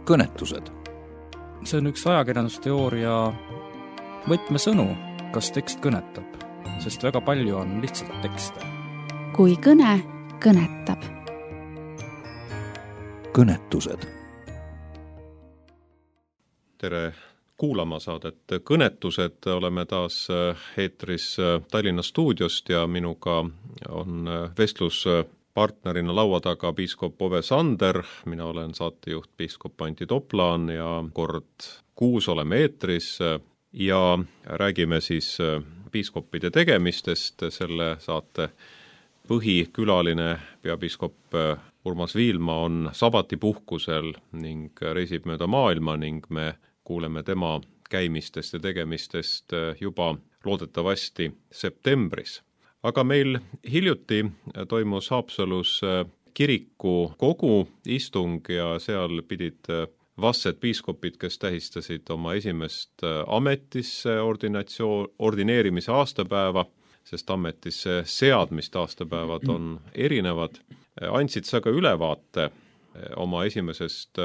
kõnetused. See on üks ajakirjandusteooria võtmesõnu, kas tekst kõnetab, sest väga palju on lihtsalt tekste. Kui kõne kõnetab. Kõnetused. Tere kuulama saadet Kõnetused. Oleme taas eetris Tallinna stuudiost ja minuga on vestluspartnerina laua taga piiskop Ove Sander. Mina olen saatejuht piiskop Antti Toplaan ja kord kuus oleme eetris ja räägime siis piiskopide tegemistest. Selle saate põhikülaline peapiiskop Urmas Viilma on sabatipuhkusel ning reisib mööda maailma ning me kuuleme tema käimistest ja tegemistest juba loodetavasti septembris. Aga meil hiljuti toimus Haapsalus kiriku kogu istung ja seal pidid vastsed piiskopid, kes tähistasid oma esimest ametisse ordineerimise aastapäeva, sest ametisse seadmist aastapäevad on erinevad. Andsid sa ka ülevaate oma esimesest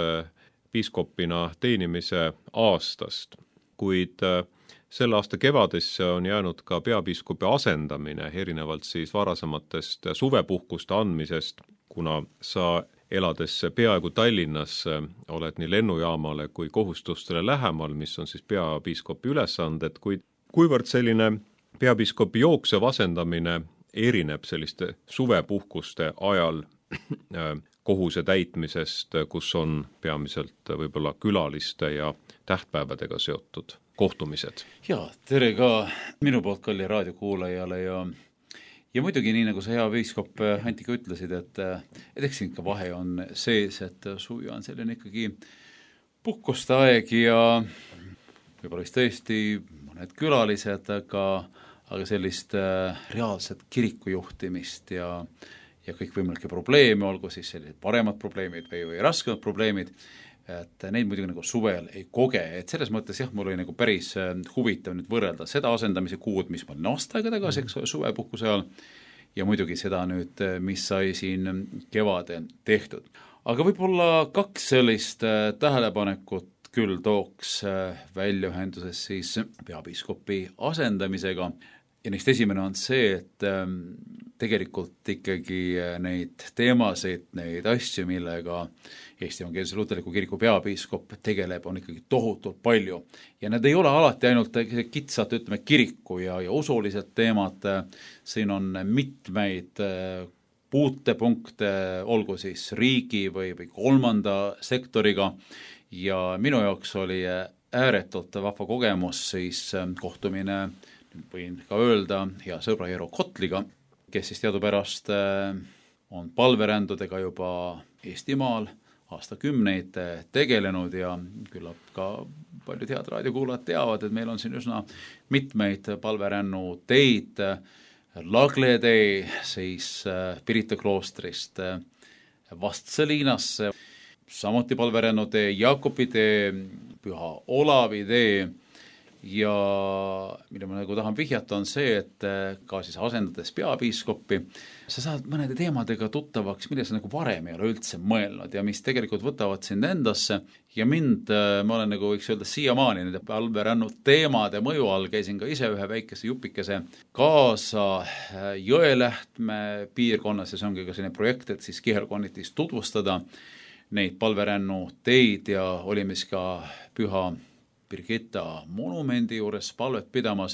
piiskopina teenimise aastast, kuid selle aasta kevadesse on jäänud ka peapiiskopi asendamine, erinevalt siis varasematest suvepuhkuste andmisest, kuna sa elades peaaegu Tallinnas oled nii lennujaamale kui kohustustele lähemal, mis on siis peapiiskopi ülesanded, kuid kuivõrd selline peapiiskopi jooksev asendamine erineb selliste suvepuhkuste ajal kohuse täitmisest, kus on peamiselt võib-olla külaliste ja tähtpäevadega seotud kohtumised. Ja, tere ka minu poolt kalli raadiokuulajale ja muidugi nii, nagu sa hea piiskop Antika ütlesid, et eks siin ka vahe on sees, et suvi on selline ikkagi puhkuste aeg ja võib-olla vist tõesti mõned külalised, aga sellist reaalset kirikujuhtimist ja kõikvõimalikke probleeme, olgu siis sellised paremad probleemid või raskemad probleemid, et neid muidugi nagu suvel ei koge. Et selles mõttes jah, mul oli nagu päris huvitav nüüd võrrelda seda asendamise kuud, mis ma olin aasta aega tagasi, suvepuhkuse ajal, ja muidugi seda nüüd, mis sai siin kevade tehtud. Aga võib-olla kaks sellist tähelepanekut küll tooks välja ühenduses siis peapiiskopi asendamisega. Ja neist esimene on see, et tegelikult ikkagi neid teemasid, neid asju, millega Eesti Evangeelse Luterliku Kiriku peapiiskop tegeleb, on ikkagi tohutult palju. Ja need ei ole alati ainult kitsalt, ütleme, kiriku ja usulised teemad. Siin on mitmeid puutepunkte, olgu siis riigi või kolmanda sektoriga. Ja minu jaoks oli ääretult vahva kogemus siis kohtumine, võin ka öelda, hea sõbra Eero Kotliga, kes siis teadupärast on palverändudega juba Eestimaal aastakümneid tegelenud ja küllap ka paljud head raadiokuulajad teavad, et meil on siin üsna mitmeid palverännu teid, Lagle tee siis Pirita kloostrist Vastseliinasse, samuti palverännu tee, Jaakobi tee, Püha Olavi tee. Ja mida ma nagu tahan vihjata on see, et ka siis asendades peapiiskopi, sa saad mõnede teemadega tuttavaks, mille sa nagu varem ei ole üldse mõelnud ja mis tegelikult võtavad sind endasse ja mind, ma olen nagu võiks öelda siiamaani nende palverännu teemade mõju all, käisin ka ise ühe väikese jupikese kaasa Jõelähtme piirkonnas ja see ongi ka selline projekt, et siis kihelkonnitis tutvustada neid palverännu teid ja olime siis ka Püha Birgitta monumendi juures palvet pidamas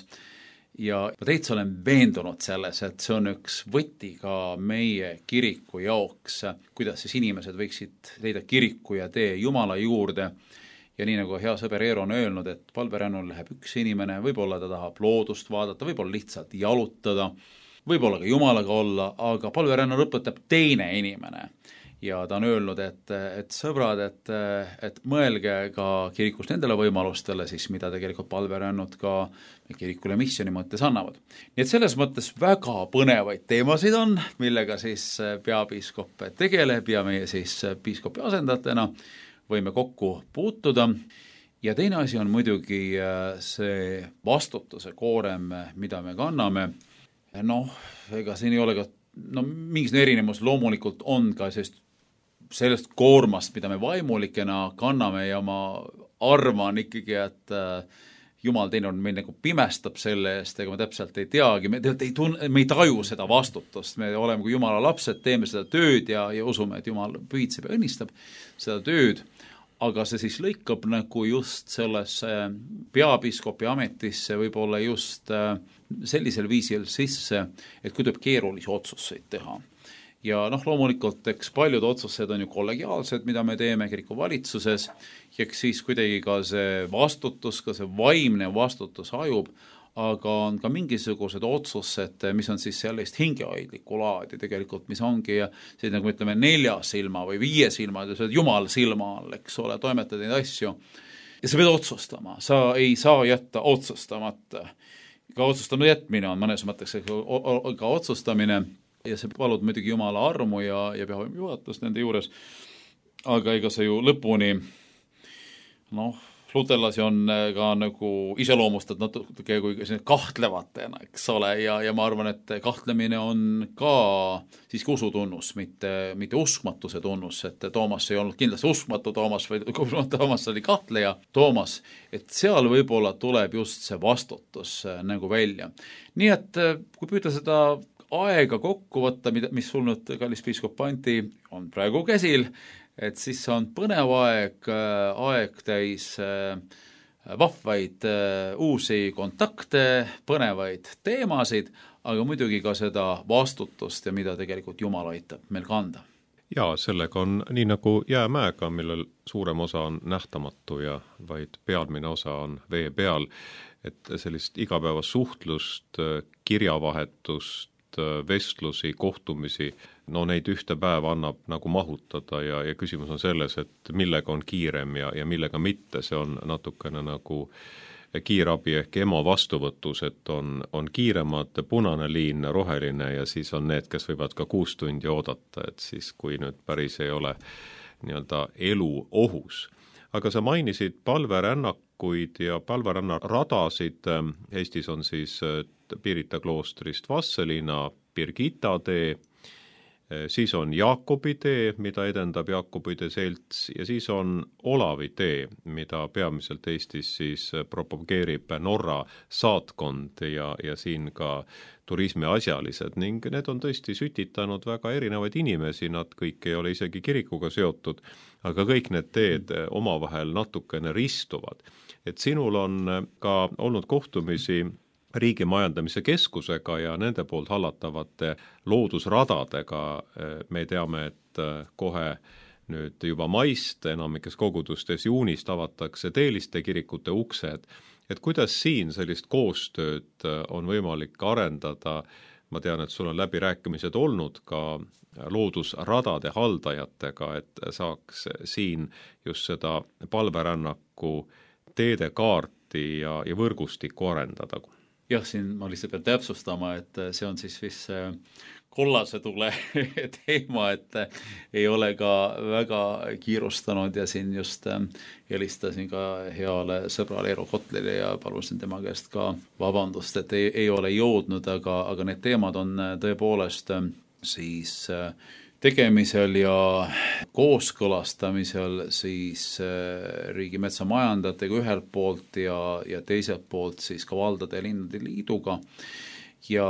ja ma täitsa olen veendunud selles, et see on üks võti ka meie kiriku jaoks, kuidas siis inimesed võiksid leida kiriku ja tee Jumala juurde. Ja nii nagu hea sõber Eero on öelnud, et palverännul läheb üks inimene, võib-olla ta tahab loodust vaadata, võib-olla lihtsalt jalutada, võib-olla ka Jumalaga olla, aga palverännul õpetab teine inimene. Ja ta on öelnud, et sõbrad, et mõelge ka kirikus nendele võimalustele, siis mida tegelikult palverännud ka kirikule missiooni mõttes annavad. Nii et selles mõttes väga põnevaid teemasid on, millega siis peapiiskop tegeleb ja meie siis piiskopi asendajatena võime kokku puutuda. Ja teine asi on muidugi see vastutuse koorem, mida me kanname. Ega siin ei ole ka mingis erinevus loomulikult on ka sellist sellest koormast, mida me vaimulikena kanname ja ma arvan ikkagi, et Jumal teinud meid nagu pimestab selle eest, ega me täpselt ei teagi, me ei taju seda vastutust, me oleme kui Jumala lapsed, teeme seda tööd ja usume, et Jumal pühitseb ja õnnistab seda tööd, aga see siis lõikab nagu just sellesse peapiiskopi ametisse võib-olla just sellisel viisil sisse, et kui tuleb keerulisi otsuseid teha. Ja loomulikult, eks paljud otsused on ju kollegiaalsed, mida me teeme kiriku valitsuses, ja eks siis kuidagi ka see vastutus, ka see vaimne vastutus hajub, aga on ka mingisugused otsused, mis on siis sellist hingehoidlikku laadi tegelikult, mis ongi see, nagu ütleme, 4 silma või 5 silma, Jumal silma all, eks ole, toimetad neid asju. Ja sa pead otsustama, sa ei saa jätta otsustamata. Ka otsustamata jätmine on mõnes mõtteks ka otsustamine, ja see palud muidugi Jumala armu ja püha juhatust nende juures, aga ega see ju lõpuni, luterlasi on ka nagu iseloomustad natuke kui kahtlevatena, eks ole, ja ma arvan, et kahtlemine on ka siiski usutunnus, mitte uskmatuse tunnus, et Toomas ei olnud kindlasti uskmatu Toomas, vaid Toomas oli kahtleja Toomas, et seal võib-olla tuleb just see vastutus nagu välja. Nii et kui püüda seda aega kokku võtta, mis sul nüüd, kallis piiskop Anti, on praegu käsil, et siis on põnev aeg täis vahvaid uusi kontakte, põnevaid teemasid, aga muidugi ka seda vastutust ja mida tegelikult Jumal aitab meil kanda. Ja sellega on nii nagu jäämäega, millel suurem osa on nähtamatu ja vaid pealmine osa on vee peal, et sellist igapäevast suhtlust, kirjavahetust, vestlusi, kohtumisi, neid ühte päeva annab nagu mahutada ja küsimus on selles, et millega on kiirem ja millega mitte, see on natukene nagu kiirabi ehk EMO vastuvõtus, et on kiiremad punane liin, roheline ja siis on need, kes võivad ka 6 tundi oodata, et siis kui nüüd päris ei ole nii-öelda elu ohus. Aga sa mainisid palverännakuid ja palverännaradasid, Eestis on siis Pirita kloostrist Vastseliina Birgitta tee, siis on Jaakobi tee, mida edendab Jaakobide selts ja siis on Olavi tee, mida peamiselt Eestis siis propageerib Norra saatkond ja siin ka turismiasjalised ning need on tõesti sütitanud väga erinevaid inimesi, nad kõik ei ole isegi kirikuga seotud, aga kõik need teed omavahel natukene ristuvad. Et sinul on ka olnud kohtumisi riigi majandamise keskusega ja nende poolt hallatavate loodusradadega. Me teame, et kohe nüüd juba maist enamikes kogudustes juunist avatakse teeliste kirikute uksed. Et kuidas siin sellist koostööd on võimalik arendada? Ma tean, et sul on läbirääkimised olnud ka loodusradade haldajatega, et saaks siin just seda palverännaku teedekaarti ja võrgustikku arendada. Jah, siin ma lihtsalt pean täpsustama, et see on siis vist kollase tule teema, et ei ole ka väga kiirustanud ja siin just helistasin ka heale sõbrale Eero Kotlile ja palusin tema käest ka vabandust, et ei ole jõudnud, aga need teemad on tõepoolest siis tegemisel ja kooskõlastamisel siis riigimetsa majandajatega ühelt poolt ja teiselt poolt siis ka valdade ja linnade liiduga. Ja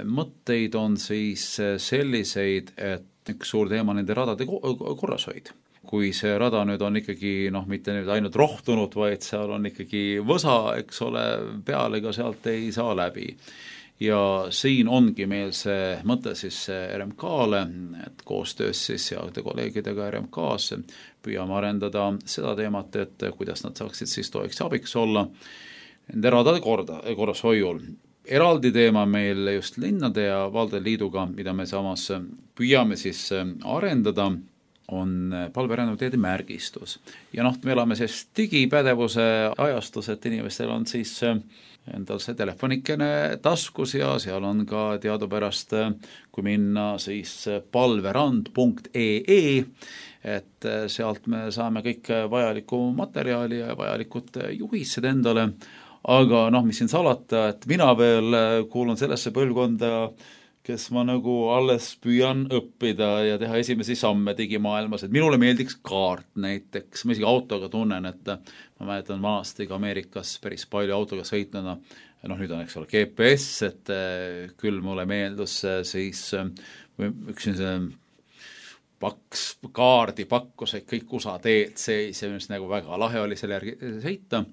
mõtteid on siis selliseid, et üks suur teema nende radade korrashoid. Kui see rada nüüd on ikkagi mitte nüüd ainult rohtunud, vaid seal on ikkagi võsa, eks ole, peale ka sealt ei saa läbi. Ja siin ongi meil see mõte siis RMK-le, et koostöös siis heade kolleegidega RMK-s püüame arendada seda teemat, et kuidas nad saaksid siis toeks ja abiks olla nende radade korras hoiul. Eraldi teema meil just linnade ja valdade liiduga, mida me samas püüame siis arendada, on palverännateede märgistus. Ja me elame siis digipädevuse ajastus, et inimestel on siis endal see telefonikene taskus ja seal on ka teadupärast, kui minna siis palverand.ee, et sealt me saame kõik vajalikku materjali ja vajalikud juhised endale, aga mis siin salata, et mina veel kuulun sellesse põlvkonda, kes ma nagu alles püüan õppida ja teha esimesi samme digimaailmas, et minule meeldiks kaart näiteks, ma isegi autoga tunnen, et ma mäletan vanasti ka Ameerikas päris palju autoga sõitnuna, nüüd on, eks ole, GPS, et küll mulle meeldus siis üks paks kaardipakkus, et kõik USA teed seis ja mis nagu väga lahe oli selle järgi sõita.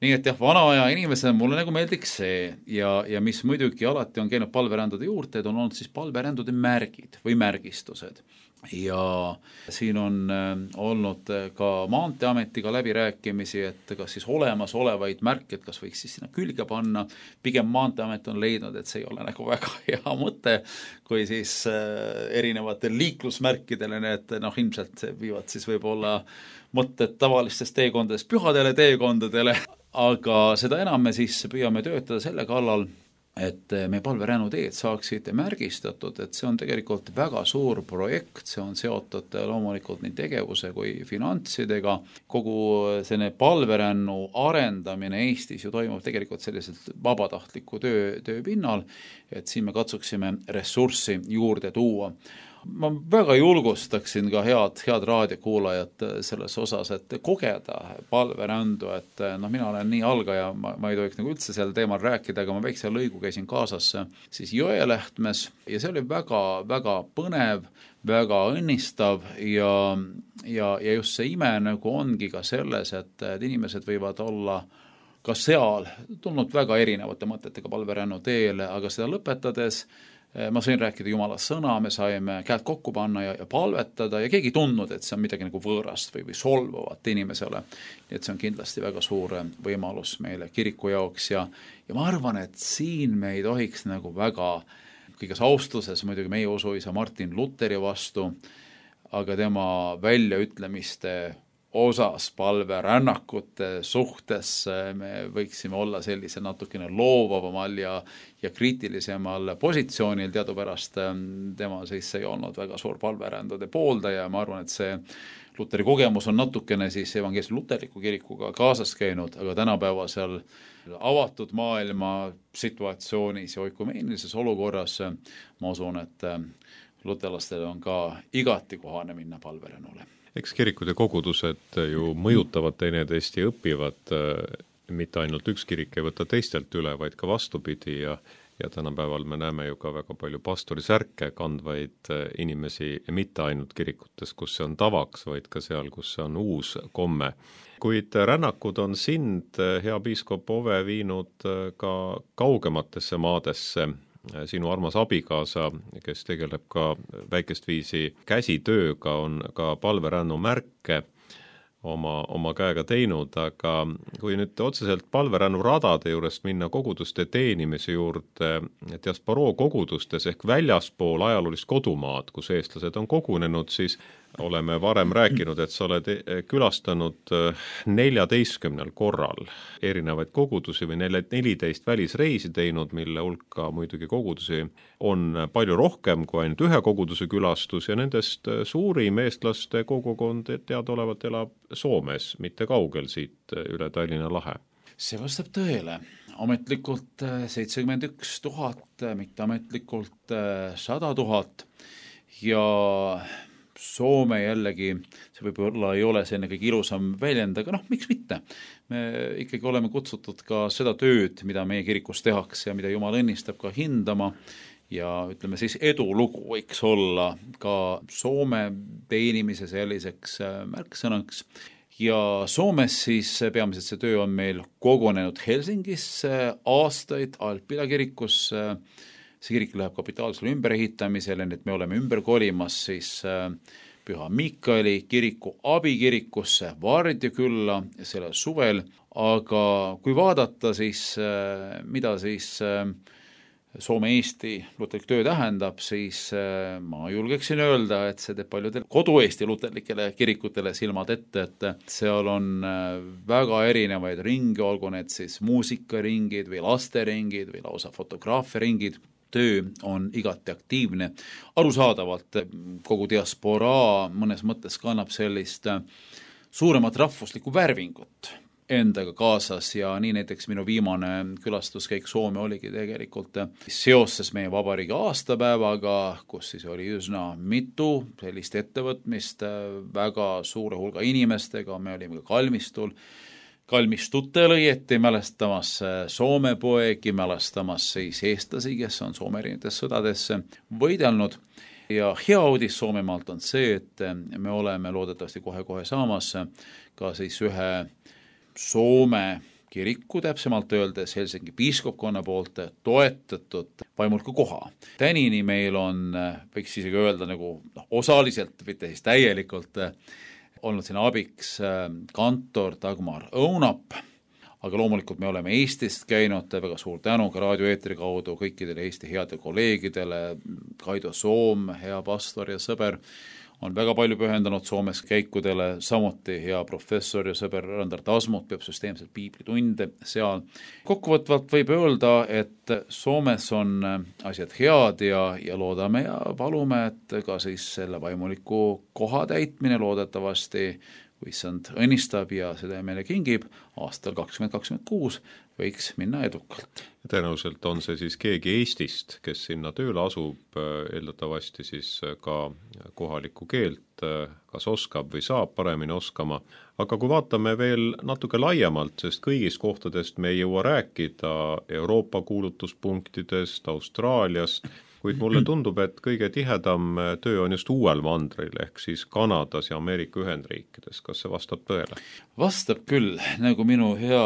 Nii et jah, vana aja inimesena mulle nagu meeldiks see ja mis muidugi alati on käinud palverändude juurde, on olnud siis palverändude märgid või märgistused. Ja siin on olnud ka Maanteeametiga läbirääkimisi, et kas siis olemas olevaid märke, et kas võiks siis sinna külge panna. Pigem Maanteeamet on leidnud, et see ei ole nagu väga hea mõte, kui siis erinevatel liiklusmärkidele need ilmselt viivad siis võib-olla mõtted tavalistest teekondadest pühadele teekondadele, aga seda enam me siis püüame töötada selle kallal, et meie palverännuteed saaksid märgistatud, et see on tegelikult väga suur projekt, see on seotud loomulikult nii tegevuse kui finantsidega. Kogu selline palverännu arendamine Eestis ju toimub tegelikult selliselt vabatahtliku töö pinnal, et siin me katsuksime ressurssi juurde tuua. Ma väga julgustaksin ka head raadiokuulajat selles osas, et kogeda palverändu, et mina olen nii algaja, ma ei tohiks nagu üldse sel teemal rääkida, aga ma väikse lõigu käisin kaasas siis Jõelähtmes ja see oli väga, väga põnev, väga õnnistav ja just see ime nagu ongi ka selles, et inimesed võivad olla ka seal tulnud väga erinevate mõtetega palverännu teele, aga seda lõpetades ma sain rääkida Jumala sõna, me saime käed kokku panna ja palvetada ja keegi ei tundnud, et see on midagi nagu võõrast või solvavat inimesele. Nii et see on kindlasti väga suur võimalus meile kiriku jaoks ja ma arvan, et siin me ei tohiks nagu väga kõiges austuses muidugi meie usuisa Martin Luteri vastu, aga tema väljaütlemiste osas palverännakute suhtes me võiksime olla sellise natukene loovavamal ja kriitilisemal positsioonil, teadupärast tema siis ei olnud väga suur palverändude pooldaja ja ma arvan, et see Luteri kogemus on natukene siis evangeelse luterliku kirikuga kaasas käinud, aga tänapäeva seal avatud maailma situatsioonis ja oikumeenilises olukorras ma usun, et luterlastel on ka igati kohane minna palverännule. Eks kirikud ja kogudused ju mõjutavad teineteist ja õpivad, mitte ainult üks kirik ei võta teistelt üle, vaid ka vastupidi ja tänapäeval me näeme ju ka väga palju pastorisärke kandvaid inimesi ja mitte ainult kirikutes, kus see on tavaks, vaid ka seal, kus see on uus komme. Kuid rännakud on sind, hea piiskop Ove, viinud ka kaugematesse maadesse. Sinu armas abikaasa, kes tegeleb ka väikest viisi käsitööga, on ka palverännu märke oma käega teinud, aga kui nüüd otseselt palverännu radade juurest minna koguduste teenimise juurde diasporoo kogudustes ehk väljaspool ajaloolist kodumaad, kus eestlased on kogunenud, siis oleme varem rääkinud, et sa oled külastanud 14 korral erinevaid kogudusi või 14 välisreisi teinud, mille hulka muidugi kogudusi on palju rohkem kui ainult ühe koguduse külastus ja nendest suurim eestlaste kogukond teadaolevalt elab Soomes, mitte kaugel siit üle Tallinna lahe. See vastab tõele. Ametlikult 71 000, mitteametlikult 100 000 ja Soome jällegi, see võib-olla ei ole selline kõige ilusam väljend, aga miks mitte? Me ikkagi oleme kutsutud ka seda tööd, mida meie kirikus tehakse ja mida Jumal õnnistab ka hindama ja ütleme siis edulugu võiks olla ka Soome teenimise selliseks märksõnaks. Ja Soomes siis peamiselt see töö on meil kogunenud Helsingis aastaid Alpila kirikus. See kirik läheb kapitaalsele ümberehitamisele, nii et me oleme ümber kolimas siis Püha Miikaeli kiriku abikirikusse Vardjakülla selle suvel, aga kui vaadata siis, mida siis Soome-Eesti luterlik töö tähendab, siis ma julgeksin öelda, et see teeb paljudel kodu-Eesti luterlikele kirikutele silmad ette, et seal on väga erinevaid ringe, olgu need siis muusikaringid või lasteringid või lausa fotograafiaringid. Töö on igati aktiivne. Arusaadavalt kogu diasporaa mõnes mõttes kannab sellist suuremat rahvuslikku värvingut. endaga kaasas ja nii näiteks minu viimane külastuskäik Soome oligi tegelikult seoses meie vabariigi aastapäevaga, kus siis oli üsna mitu sellist ettevõtmist väga suure hulga inimestega, me olime ka kalmistutel õieti mälestamas Soome poegi, mälestamas siis eestlasi, kes on Soome erinevates sõdades võidelnud. Ja hea uudis Soomemaalt on see, et me oleme loodetavasti kohe-kohe saamas ka siis ühe Soome kiriku, täpsemalt öeldes Helsingi piiskopkonna poolt toetatud vaimulku koha. Tänini meil on, võiks isegi öelda nagu osaliselt, mitte siis täielikult, olnud siin abiks kantor Dagmar Õunap, aga loomulikult me oleme Eestist käinud, väga suur tänu ka raadioeetri kaudu kõikidele Eesti heade kolleegidele, Kaido Soom, hea pastor ja sõber, on väga palju pühendanud Soomes käikudele, samuti hea professor ja sõber Randar Tasmut peab süsteemselt piiblitunde seal. Kokkuvõtvalt võib öelda, et Soomes on asjad head ja loodame ja palume, et ka siis selle vaimuliku koha täitmine loodetavasti kui issand õnnistab ja seda meile kingib, aastal 2026 võiks minna edukalt. Tõenäoliselt on see siis keegi Eestist, kes sinna tööle asub, eeldatavasti siis ka kohalikku keelt, kas oskab või saab paremini oskama. Aga kui vaatame veel natuke laiemalt, sest kõigist kohtadest me ei jõua rääkida Euroopa kuulutuspunktidest, Austraaliast, kuid mulle tundub, et kõige tihedam töö on just uuel mandril, ehk siis Kanadas ja Ameerika Ühendriikides. Kas see vastab tõele? Vastab küll, nagu minu hea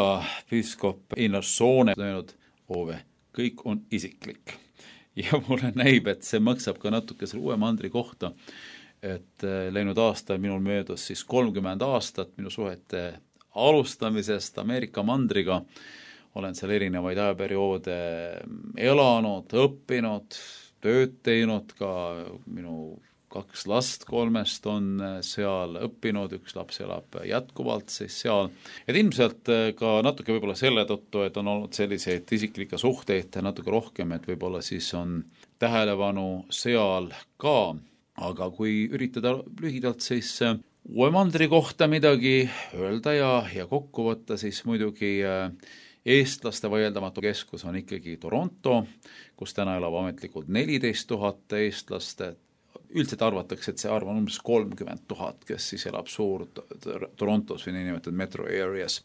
piiskop Einar Soone öelnud, Ove, kõik on isiklik. Ja mulle näib, et see maksab ka natuke selle uue mandri kohta, et läinud aastal minul möödus siis 30 aastat minu suhete alustamisest Ameerika mandriga. Olen seal erinevaid ajaperioode elanud, õppinud, tööd teinud, ka minu 2 last 3 on seal õppinud, 1 laps elab jätkuvalt siis seal. Et ilmselt ka natuke võib-olla selle tõttu, et on olnud selliseid isiklikke suhteid natuke rohkem, et võib-olla siis on tähelepanu seal ka. Aga kui üritada lühidalt siis uue mandri kohta midagi öelda ja kokku võtta, siis muidugi eestlaste vaieldamatu keskus on ikkagi Toronto, kus täna elab ametlikult 14 000 eestlast. Üldiselt arvatakse, et see arv on umbes 30 000, kes siis elab suur Torontos või niinimetatud metro areas.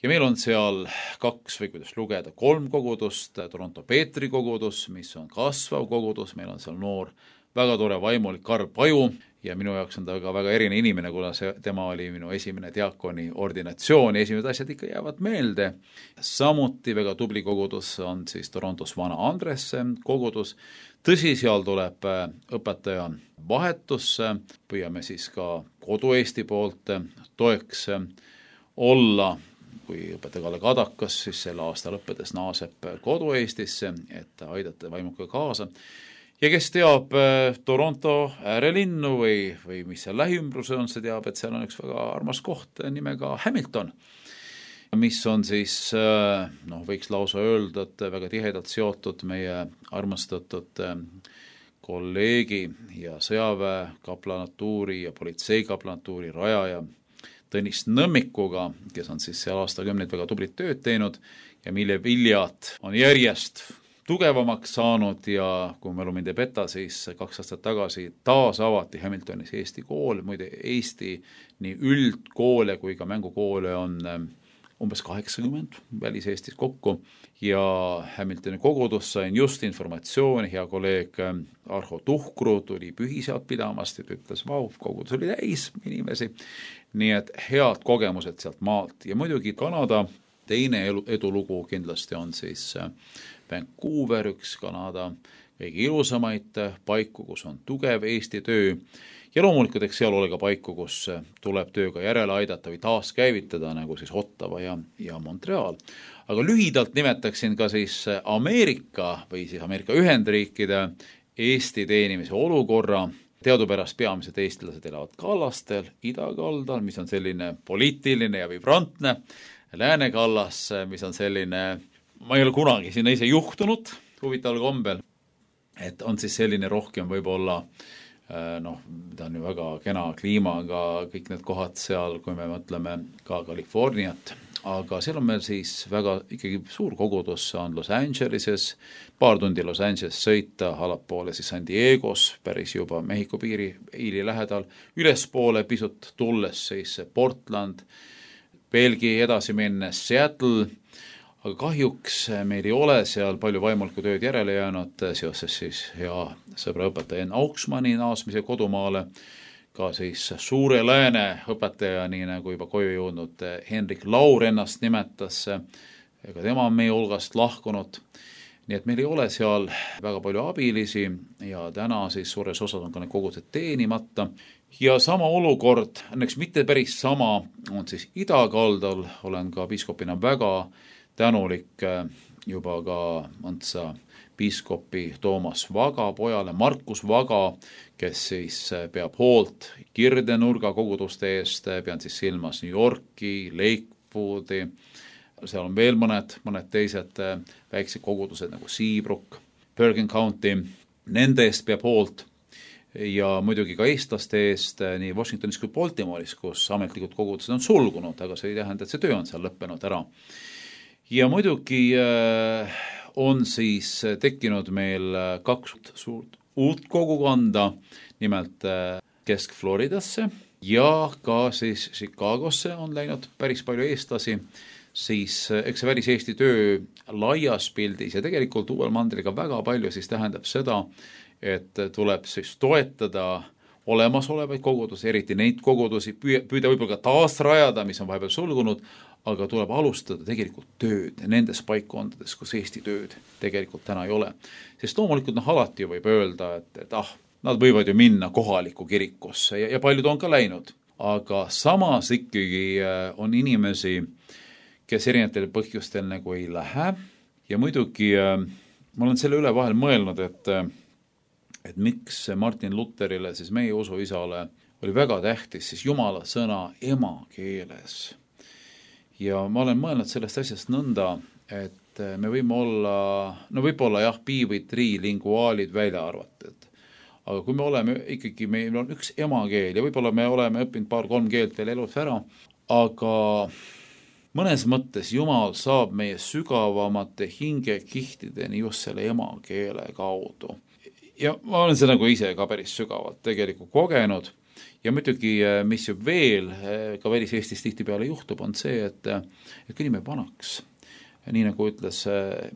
Ja meil on seal 2 või kuidas lugeda, 3 kogudust, Toronto Peetri kogudus, mis on kasvav kogudus, meil on seal noor, väga tore vaimulik Karl Paju ja minu jaoks on ta ka väga eriline inimene, kuna tema oli minu esimene diakoni ordinatsioon ja esimesed asjad ikka jäävad meelde. Samuti väga tubli kogudus on siis Torontos Vana Andresse kogudus. Tõsi, seal tuleb õpetaja vahetusse, püüame siis ka kodu-Eesti poolt toeks olla, kui õpetaja Kalle Kadakas siis selle aasta lõppedes naaseb kodu-Eestisse, et aidata vaimuka kaasa. Ja kes teab Toronto äärelinnu või mis seal lähiümbruse on, see teab, et seal on üks väga armas koht nimega Hamilton, mis on siis, võiks lausa öelda, et väga tihedalt seotud meie armastatud kolleegi ja sõjaväe kaplanatuuri ja politsei kaplanatuuri rajaja Tõnis Nõmmikuga, kes on siis seal aastakümneid väga tublit tööd teinud ja mille viljad on järjest tugevamaks saanud ja kui mälu mind ei peta, siis 2 aastat tagasi taas avati Hamiltonis Eesti kool, muide Eesti nii üldkoole kui ka mängukoole on umbes 80 välis-Eestis kokku ja Hamiltoni kogudus sain just informatsiooni, hea kolleeg Arho Tuhkru tuli pühisead pidamast ja ütles, kogudus oli täis inimesi, nii et head kogemused sealt maalt ja muidugi Kanada teine edulugu kindlasti on siis Vancouver, üks Kanada kõige ilusamaid paiku, kus on tugev Eesti töö ja loomulikult eks seal ole ka paiku, kus tuleb tööga järele aidata või taaskäivitada, nagu siis Ottawa ja Montreal. Aga lühidalt nimetaksin ka siis Ameerika või siis Ameerika Ühendriikide Eesti teenimise olukorra. Teadupärast peamised eestlased elavad kallastel, idakaldal, mis on selline poliitiline ja vibrantne, Läänekallas, mis on selline, ma ei ole kunagi sinna ise juhtunud huvitaval kombel, et on siis selline rohkem võib-olla, ta on ju väga kena kliimaga, kõik need kohad seal, kui me mõtleme ka Californiat, aga seal on meil siis väga ikkagi suur kogudus, on Los Angeleses, paar tundi Los Angeles sõita, allapoole siis San Diegos, päris juba Mehhiko piiri lähedal, ülespoole pisut tulles siis Portland, veelgi edasi minnes Seattle, aga kahjuks meil ei ole seal palju vaimulikku tööd järele jäänud seoses siis hea sõbra õpetaja Enn Auksmanni naasmise kodumaale, ka siis Suure Lääne õpetaja, nii nagu juba koju jõudnud Henrik Laur ennast nimetas, ega tema on meie hulgast lahkunud. Nii et meil ei ole seal väga palju abilisi ja täna siis suures osas on ka need kogudused teenimata. Ja sama olukord, õnneks mitte päris sama, on siis idakaldal, olen ka piiskopina väga tänulik juba ka Mõntsa piiskopi Toomas Vaga pojale, Markus Vaga, kes siis peab hoolt Kirdenurga koguduste eest, pean siis silmas New Yorki, Lakewoodi, seal on veel mõned teised väiksed kogudused nagu Seabrook, Bergen County, nende eest peab hoolt ja muidugi ka eestlaste eest nii Washingtonis kui Baltimore'is, kus ametlikud kogudused on sulgunud, aga see ei tähenda, et see töö on seal lõppenud ära. Ja muidugi on siis tekkinud meil 2 suurt uut kogukonda, nimelt Kesk-Floridasse ja ka siis Chicagosse on läinud päris palju eestlasi, siis eks see väliseesti töö laias pildis ja tegelikult uuel mandriga väga palju siis tähendab seda, et tuleb siis toetada olemasolevaid kogudusi, eriti neid kogudusi, püüda võib-olla ka taasrajada, mis on vahepeal sulgunud, aga tuleb alustada tegelikult tööd nendes paikkondades, kus Eesti tööd tegelikult täna ei ole. Sest loomulikult alati võib öelda, et nad võivad ju minna kohalikku kirikusse ja paljud on ka läinud. Aga samas ikkagi on inimesi, kes erinevatel põhjustel nagu ei lähe ja muidugi ma olen selle üle vahel mõelnud, et miks Martin Lutherile, siis meie usuisale, oli väga tähtis siis Jumala sõna emakeeles. Ja ma olen mõelnud sellest asjast nõnda, et me võime olla, võib-olla jah, bi või trilinguaalid välja arvatud. Aga kui me oleme ikkagi, meil on üks emakeel ja võib-olla me oleme õppinud 2-3 keelt veel elus ära, aga mõnes mõttes Jumal saab meie sügavamate hingekihtideni just selle emakeele kaudu. Ja ma olen seda nagu ise ka päris sügavalt tegelikult kogenud. Ja muidugi, mis ju veel ka välis-Eestis tihtipeale juhtub, on see, et kui inimene vanaks, nii nagu ütles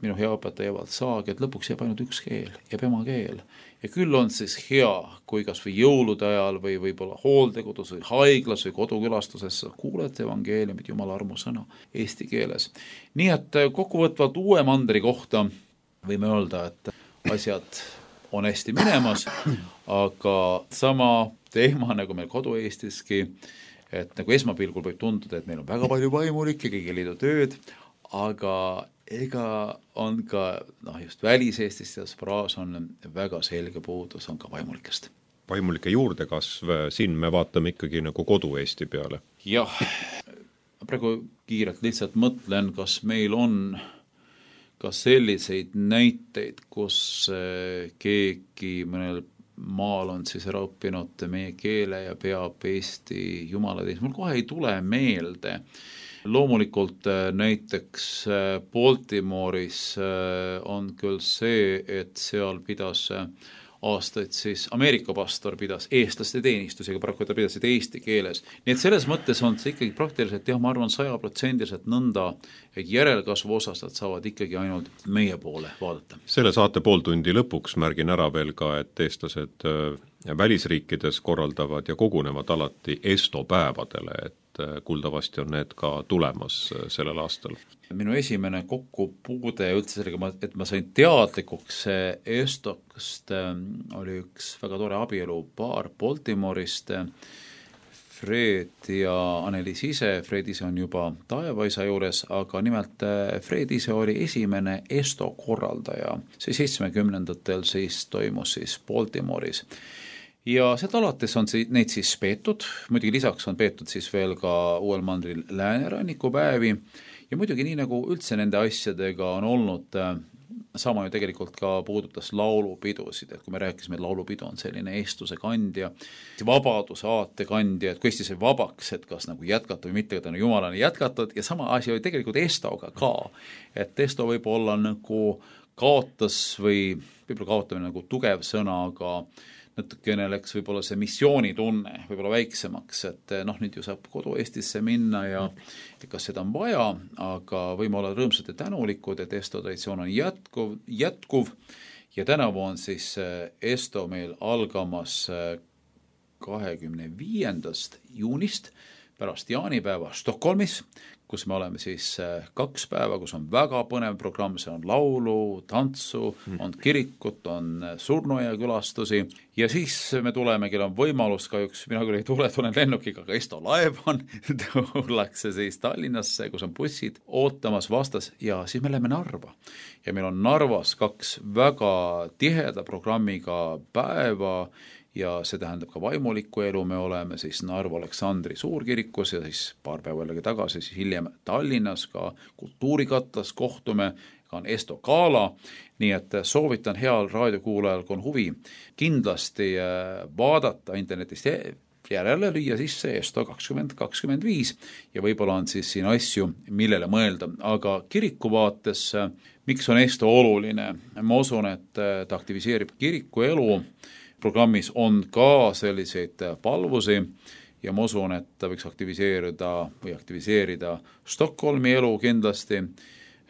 minu hea õpetaja Evald Saag, et lõpuks jääb ainult üks keel, jääb emakeel. Ja küll on siis hea, kui kas või jõulude ajal või võib-olla hooldekodus või haiglas või kodukülastuses kuuled evangeeliumit, Jumala armu sõna eesti keeles. Nii et kokkuvõtvalt uue mandri kohta võime öelda, et asjad on hästi minemas, aga sama teema nagu meil kodu-Eestiski, et nagu esmapilgul võib tunduda, et meil on väga palju vaimulikke, kõigi liidu tööd, aga ega on ka, just välis-Eestis ja spraas on väga selge puudus, on ka vaimulikest. Vaimulike juurdekasv, siin me vaatame ikkagi nagu kodu-Eesti peale. Jah, praegu kiirelt lihtsalt mõtlen, kas meil on ka selliseid näiteid, kus keegi mõnel maal on siis ära õppinud meie keele ja peab Eesti jumalateist. Mul kohe ei tule meelde. Loomulikult näiteks Baltimore'is on küll see, et seal pidas aastaid siis Ameerika pastor pidas eestlaste teenistusega, paraku ta pidasid eesti keeles. Nii et selles mõttes on see ikkagi praktiliselt, ma arvan 100% nõnda, et järelkasvu osas nad saavad ikkagi ainult meie poole vaadata. Selle saate pooltundi lõpuks märgin ära veel ka, et eestlased välisriikides korraldavad ja kogunevad alati Esto päevadele, et kuuldavasti on need ka tulemas sellel aastal. Minu esimene kokkupuude üldse sellega, et ma sain teadlikuks Estokast, oli üks väga tore abielupaar Baltimore'ist, Fred ja Anneliis ise. Fred ise on juba taevaisa juures, aga nimelt Fred ise oli esimene Esto korraldaja. See 70-ndatel siis toimus siis Baltimore'is. Ja sealt alates on neid siis peetud, muidugi lisaks on peetud siis veel ka uuel mandril Lääneranniku päevi ja muidugi nii nagu üldse nende asjadega on olnud sama ju tegelikult ka puudutas laulupidusid, et kui me rääkisime, et laulupidu on selline eestluse kandja, vabaduse aate kandja, et kui Eesti sai vabaks, et kas nagu jätkata või mitte, tänu jumalani jätkatud, ja sama asi oli tegelikult Estoga ka, et Esto võib olla nagu kaotas või võib-olla kaotamine nagu tugev sõna, aga natukene läks võib-olla see missioonitunne võib-olla väiksemaks, et nüüd ju saab kodu Eestisse minna ja kas seda on vaja, aga võime olla rõõmsad ja tänulikud, et Esto traditsioon on jätkuv ja tänavu on siis Esto meil algamas 25. juunist pärast jaanipäeva Stockholmis, kus me oleme siis 2 päeva, kus on väga põnev programm, see on laulu, tantsu, on kirikut, on surnuaia külastusi ja siis me tuleme, kellel on võimalus, kahjuks mina küll ei tule, tulen lennukiga, aga Esto laev on, tullakse siis Tallinnasse, kus on bussid ootamas vastas ja siis me läheme Narva. Ja meil on Narvas 2 väga tiheda programmiga päeva ja see tähendab ka vaimulikku elu, me oleme siis Narva Aleksandri suurkirikus ja siis paar päeva jällegi tagasi, siis hiljem Tallinnas ka kultuurikatlas kohtume, ka on Esto Gala, nii et soovitan heal raadiokuulajal, kui on huvi, kindlasti vaadata internetist järele, lüüa sisse Esto 2025 ja võib-olla on siis siin asju, millele mõelda, aga kiriku vaates, miks on Esto oluline? Ma usun, et ta aktiviseerib kiriku elu, programmis on ka selliseid palvusi ja ma usun, et ta võiks aktiviseerida Stockholmi elu kindlasti.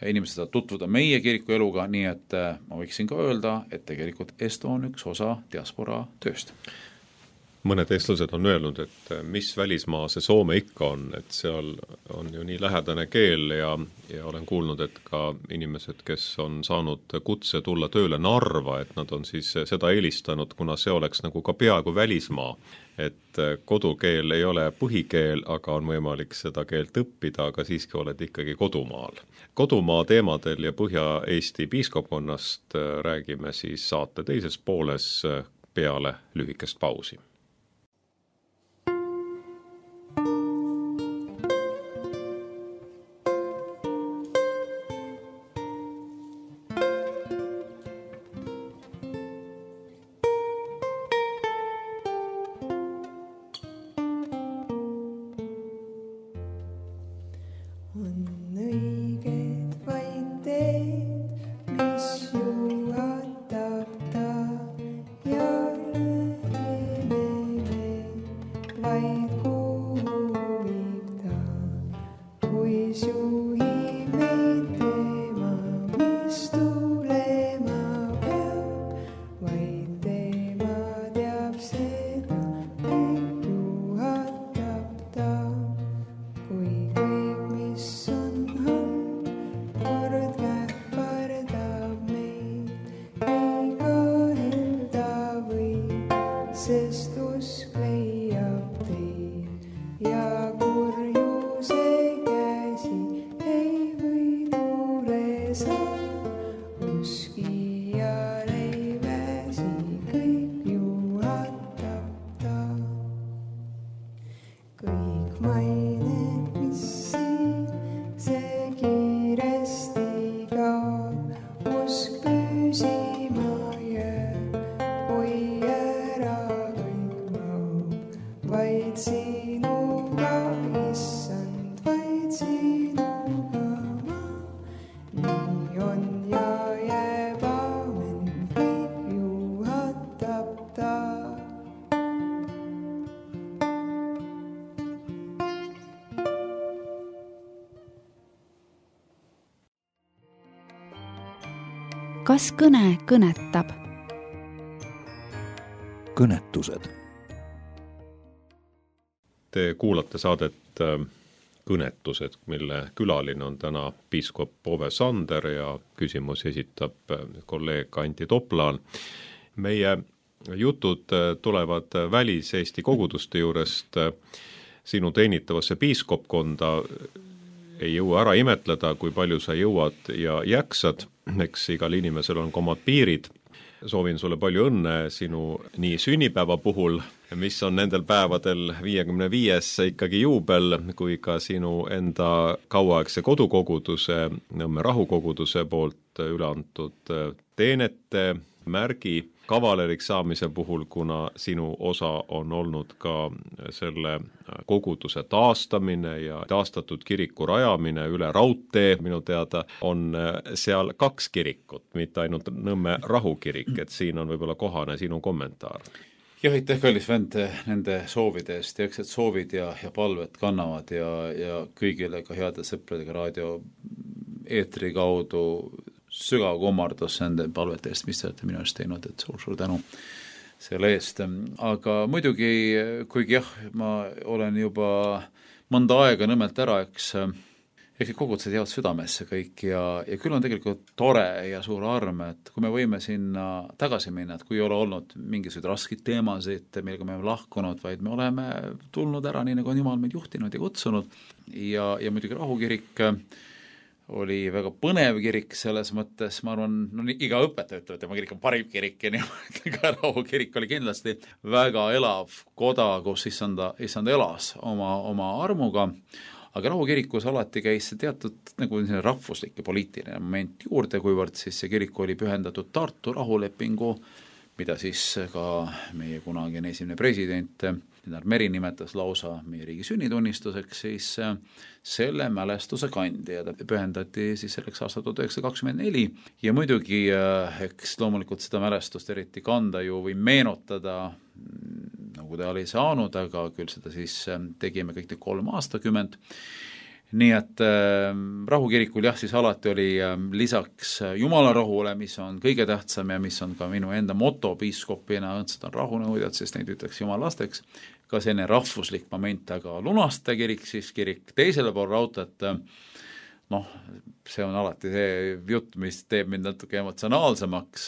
Inimesed saavad tutvuda meie kiriku eluga, nii et ma võiksin ka öelda, et tegelikult Esto on üks osa diaspora tööst. Mõned eestlased on öelnud, et mis välismaa see Soome ikka on, et seal on ju nii lähedane keel ja olen kuulnud, et ka inimesed, kes on saanud kutse tulla tööle Narva, et nad on siis seda eelistanud, kuna see oleks nagu ka peaaegu välismaa, et kodukeel ei ole põhikeel, aga on võimalik seda keelt õppida, aga siiski oled ikkagi kodumaal. Kodumaa teemadel ja Põhja-Eesti piiskopkonnast räägime siis saate teises pooles peale lühikest pausi. Kas kõne kõnetab? Kõnetused. Te kuulate saadet Kõnetused, mille külaline on täna piiskop Ove Sander ja küsimusi esitab kolleeg Anti Toplaan. Meie jutud tulevad välis-Eesti koguduste juurest sinu teenitavasse piiskopkonda. Ei jõua ära imetleda, kui palju sa jõuad ja jäksad, eks igal inimesel on ka omad piirid. soovin sulle palju õnne sinu nii sünnipäeva puhul, mis on nendel päevadel 55. ikkagi juubel, kui ka sinu enda kauaaegse kodukoguduse, Nõmme rahukoguduse poolt üle antud teenete märgi kavaleriks saamise puhul, kuna sinu osa on olnud ka selle koguduse taastamine ja taastatud kiriku rajamine üle raudtee, minu teada on seal 2 kirikut, mitte ainult Nõmme rahukirik, et siin on võib-olla kohane sinu kommentaar. Jah, aitäh, kallis vend, nende soovide eest, ja eks et soovid ja palved kannavad ja kõigile ka heade sõpradega raadio eetri kaudu sügav kummardus nende palvete eest, mis te olete minu eest teinud, et suur tänu selle eest. Aga muidugi, kuigi jah, ma olen juba mõnda aega Nõmmelt ära, eks kogudused jäävad südamesse kõik ja küll on tegelikult tore ja suur arm, et kui me võime sinna tagasi minna, et kui ei ole olnud mingisuguseid raskeid teemasid, millega me oleme lahkunud, vaid me oleme tulnud ära nii, nagu on Jumal meid juhtinud ja kutsunud ja muidugi rahukirik oli väga põnev kirik selles mõttes, ma arvan, iga õpetaja ütleb, et tema kirik on parim kirik ja nii ka rahukirik oli kindlasti väga elav koda, kus issand elas oma armuga, aga rahukirikus alati käis see teatud nagu rahvuslik ja poliitiline moment juurde, kuivõrd siis see kirik oli pühendatud Tartu rahulepingu, mida siis ka meie kunagine esimene president Lennart Meri nimetas lausa meie riigi sünnitunnistuseks, siis selle mälestuse kandi ja ta pühendati siis selleks aastal 1924 ja muidugi eks loomulikult seda mälestust eriti kanda ju või meenutada, nagu ta oli saanud, aga küll seda siis tegime kõik 3 aastakümmend. Nii et rahukirikul jah, siis alati oli lisaks Jumala rahule, mis on kõige tähtsam ja mis on ka minu enda moto piiskopina, õndsad on rahunõudjad, sest neid ütleks Jumala lasteks, ka selline rahvuslik moment, aga Lunaste kirik, siis kirik teisele pool raudteed, see on alati see jutt, mis teeb mind natuke emotsionaalsemaks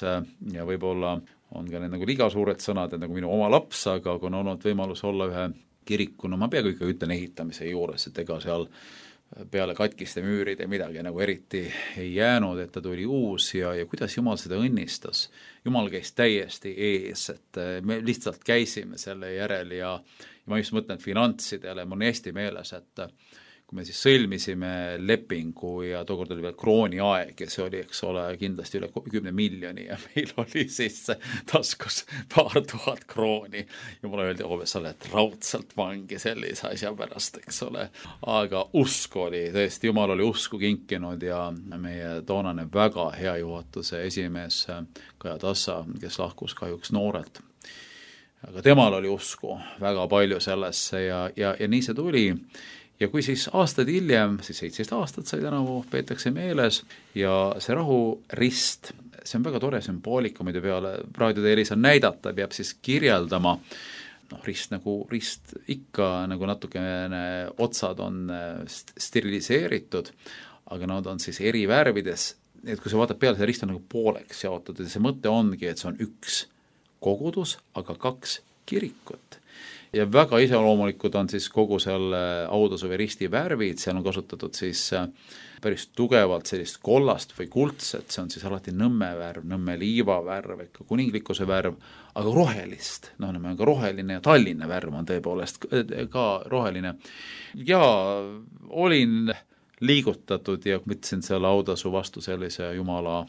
ja võib-olla on ka need nagu liiga suured sõnad, et nagu minu oma laps, aga kui on olnud võimalus olla ühe kiriku, ma peaaegu ikka ütlen ehitamise juures, et ega seal peale katkiste müüride midagi nagu eriti ei jäänud, et ta tuli uus ja kuidas Jumal seda õnnistas. Jumal käis täiesti ees, et me lihtsalt käisime selle järel ja ma just mõtlen finantsidele, mul on hästi meeles, et kui me siis sõlmisime lepingu ja tookord oli veel krooni aeg ja see oli, eks ole, kindlasti üle 10 miljoni ja meil oli siis taskus paar tuhat krooni ja mulle öeldi, sa oled raudselt vangi sellise asja pärast, eks ole. Aga usk oli, tõesti, Jumal oli usku kinkinud ja meie toonane väga hea juhatuse esimees Kaja Tassa, kes lahkus kahjuks noorelt. Aga temal oli usku väga palju sellesse ja nii see tuli. Ja kui siis aastad hiljem, siis 17 aastat sai tänavu, peetakse meeles ja see rahurist, see on väga tore sümboolika, mida peale raadioteelis on näidata, peab siis kirjeldama, rist ikka nagu natukene otsad on steriliseeritud, aga nad on siis eri värvides, et kui sa vaatad peale, see rist on nagu pooleks jaotatud ja see mõte ongi, et see on üks kogudus, aga 2 kirikut. Ja väga iseloomulikud on siis kogu selle autasu või risti värvid, seal on kasutatud siis päris tugevalt sellist kollast või kuldset, see on siis alati Nõmme värv, Nõmme liiva värv, ikka kuninglikkuse värv, aga rohelist, on ka roheline ja Tallinna värv on tõepoolest ka roheline. Ja olin liigutatud ja võtsin selle autasu vastu sellise Jumala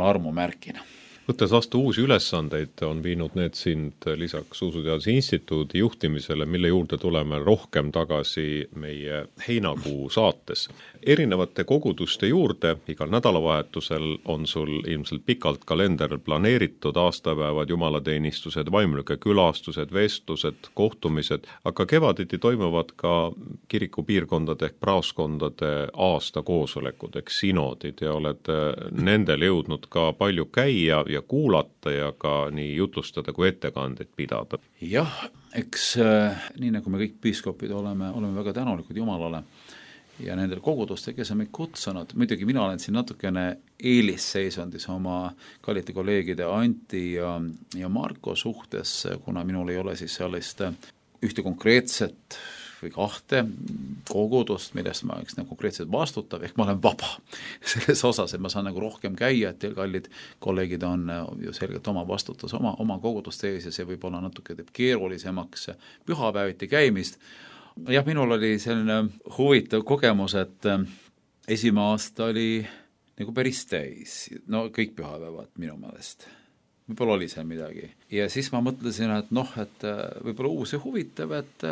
armu märkina. Võttes vastu uusi ülesandeid, on viinud need sind lisaks Usuteaduse Instituudi juhtimisele, mille juurde tuleme rohkem tagasi meie heinakuu saates. Erinevate koguduste juurde igal nädalavahetusel on sul ilmselt pikalt kalender planeeritud, aastapäevad, jumalateenistused, vaimulike külastused, vestlused, kohtumised, aga kevaditi toimuvad ka kirikupiirkondade ehk praoskondade aastakoosolekud ehk sinodid ja oled nendel jõudnud ka palju käia ja kuulata ja ka nii jutlustada kui ettekandeid pidada. Jah, eks nii nagu me kõik piiskopid oleme väga tänulikud Jumalale ja nendel kogudustel, kes on meid kutsunud. Muidugi mina olen siin natukene eelisseisundis oma kallite kolleegide Anti ja Marko suhtes, kuna minul ei ole siis sellist ühte konkreetset või 2 kogudust, millest ma oleks konkreetselt vastutav, ehk ma olen vaba selles osas, et ma saan rohkem käia, et teil kallid kolleegid on ju selgelt oma vastutus oma koguduste ees ja see võib olla natuke teeb keerulisemaks pühapäeviti käimist. Jah, minul oli selline huvitav kogemus, et esimene aasta oli päris täis, no kõik pühapäevad minu meelest. Võib-olla oli seal midagi. Ja siis ma mõtlesin, et et võib-olla uus ja huvitav, et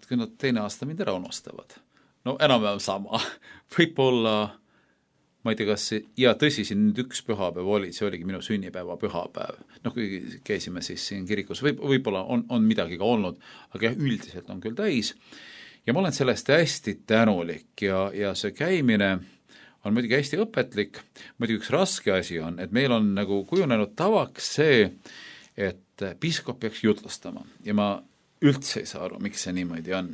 kui nad teine aasta mind ära unustavad. No enam-vähem sama. Võib-olla, ma ei tea, kas ja tõsi, siin nüüd üks pühapäev oli, see oligi minu sünnipäeva pühapäev. Kui käisime siis siin kirikus, võib-olla on midagi ka olnud, aga jah, üldiselt on küll täis. Ja ma olen sellest hästi tänulik ja see käimine on muidugi hästi õpetlik, muidugi üks raske asi on, et meil on kujunenud tavaks see, et piiskop peaks jutlustama ja ma üldse ei saa aru, miks see niimoodi on.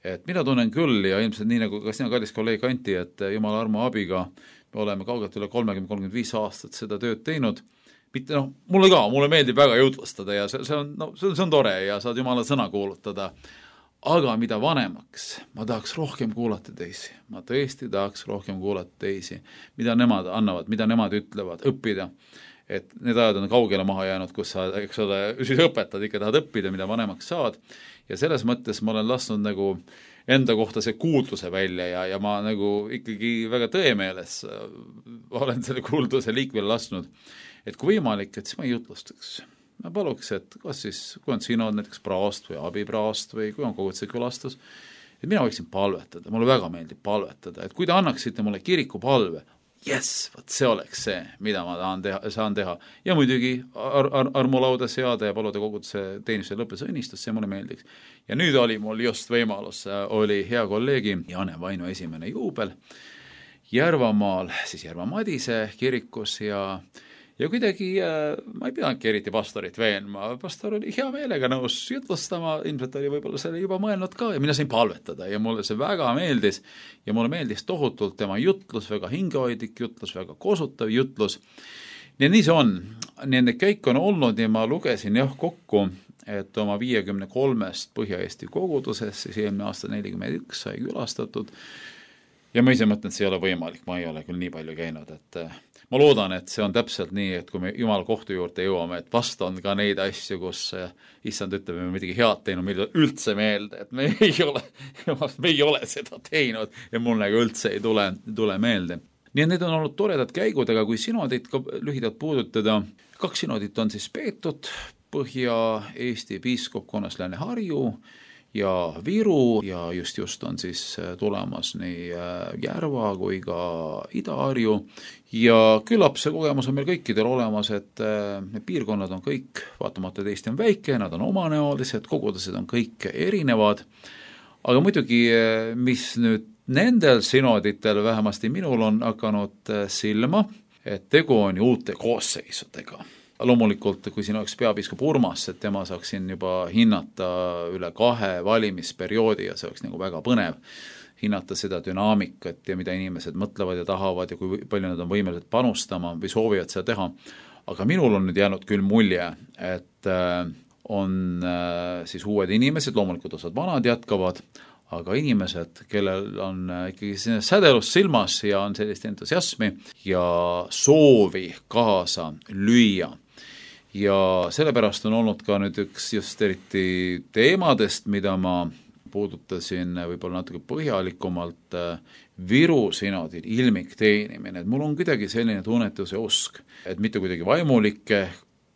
Et mina tunnen küll ja ilmselt nii ka sina kallis kolleeg Anti, et Jumala armu abiga me oleme kaugelt üle 30-35 aastat seda tööd teinud. Mitte, mulle meeldib väga jutlustada ja see on tore ja saad Jumala sõna kuulutada. Aga mida vanemaks, ma tahaks rohkem kuulata teisi. Ma tõesti tahaks rohkem kuulata teisi. Mida nemad annavad, mida nemad ütlevad, õppida. Et need ajad on kaugele maha jäänud, kus sa, siis õpetad, ikka tahad õppida, mida vanemaks saad. Ja selles mõttes ma olen lasknud enda kohta see kuulduse välja ja ma ikkagi väga tõemeeles olen selle kuulduse liikvel lasknud. Et kui võimalik, et siis ma ei jutlustaks. Ma paluks, et kas siis, kui on sinod näiteks praast või abipraast või kui on koguduse külastus, et mina võiksin palvetada, mulle väga meeldib palvetada, et kui te annaksite mulle kiriku palve, võt see oleks see, mida ma saan teha. Ja muidugi armulauda seada ja paluda koguduse teenistuse lõppes õnnistust, see mulle meeldiks. Ja nüüd oli mul just võimalus, oli hea kolleegi Jane Vainu esimene juubel Järvamaal, siis Järva Madise kirikus ja kuidagi ma ei peanudki eriti pastorit veenma, pastor oli hea meelega nõus jutlustama, ilmselt oli võib-olla selle juba mõelnud ka ja mina sain palvetada ja mulle see väga meeldis ja mulle meeldis tohutult tema jutlus, väga hingehoidlik jutlus, väga kosutav jutlus. Ja nii see on, nende käik on olnud ja ma lugesin kokku, et oma 53 Põhja-Eesti kogudusest, siis eelmine aasta 41 sai külastatud ja ma ise mõtlen, et see ei ole võimalik, ma ei ole küll nii palju käinud, et ma loodan, et see on täpselt nii, et kui me Jumala kohtu juurde jõuame, et vast on ka neid asju, kus issand ütleb, me midagi head teinud, meil üldse meelde, et me ei ole seda teinud ja mul üldse ei tule meelde. Nii et need on olnud toredad käigud, aga kui sinodit ka lühidalt puudutada, 2 sinodit on siis peetud Põhja-Eesti piiskopkonnas Lääne-Harju ja Viru ja just on siis tulemas nii Järva kui ka Ida-Harju ja küllap see kogemus on meil kõikidel olemas, et need piirkonnad on kõik, vaatamata Eesti on väike, nad on omanäolised, kogudused on kõik erinevad, aga muidugi, mis nüüd nendel sinoditel vähemasti minul on hakanud silma, et tegu on ju uute koosseisudega. Loomulikult, kui siin oleks peapiiskop Urmas, et tema saaksin juba hinnata üle 2 valimisperioodi ja see oleks väga põnev hinnata seda dünaamikat ja mida inimesed mõtlevad ja tahavad ja kui palju nad on võimelised panustama või soovivad seda teha. Aga minul on nüüd jäänud küll mulje, et on siis uued inimesed, loomulikult osad vanad jätkavad, aga inimesed, kellel on ikkagi sädelus silmas ja on sellist entusiasmi ja soovi kaasa lüüa. Ja sellepärast on olnud ka nüüd üks just eriti teemadest, mida ma puudutasin võib-olla natuke põhjalikumalt Viru sinodil ilmik teenimine. Et mul on kuidagi selline tunnetus ja usk, et mitte kuidagi vaimulikke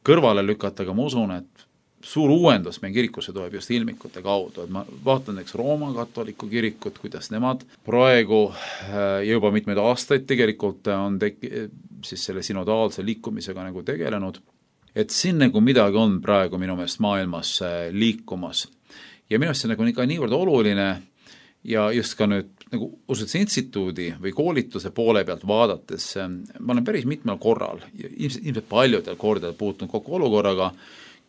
kõrvale lükata, aga ma usun, et suur uuendus meie kirikusse tuleb just ilmikute kaudu. Et ma vaatan Rooma katoliku kirikut, kuidas nemad praegu juba mitmeid aastaid tegelikult on siis selle sinodaalse liikumisega tegelenud. Et siin midagi on praegu minu meelest maailmas liikumas. Ja minu meelest see on ikka niivõrd oluline ja just ka nüüd usutuse instituudi või koolituse poole pealt vaadates, ma olen päris mitmel korral, ilmselt paljudel kordadel puutunud kokku olukorraga,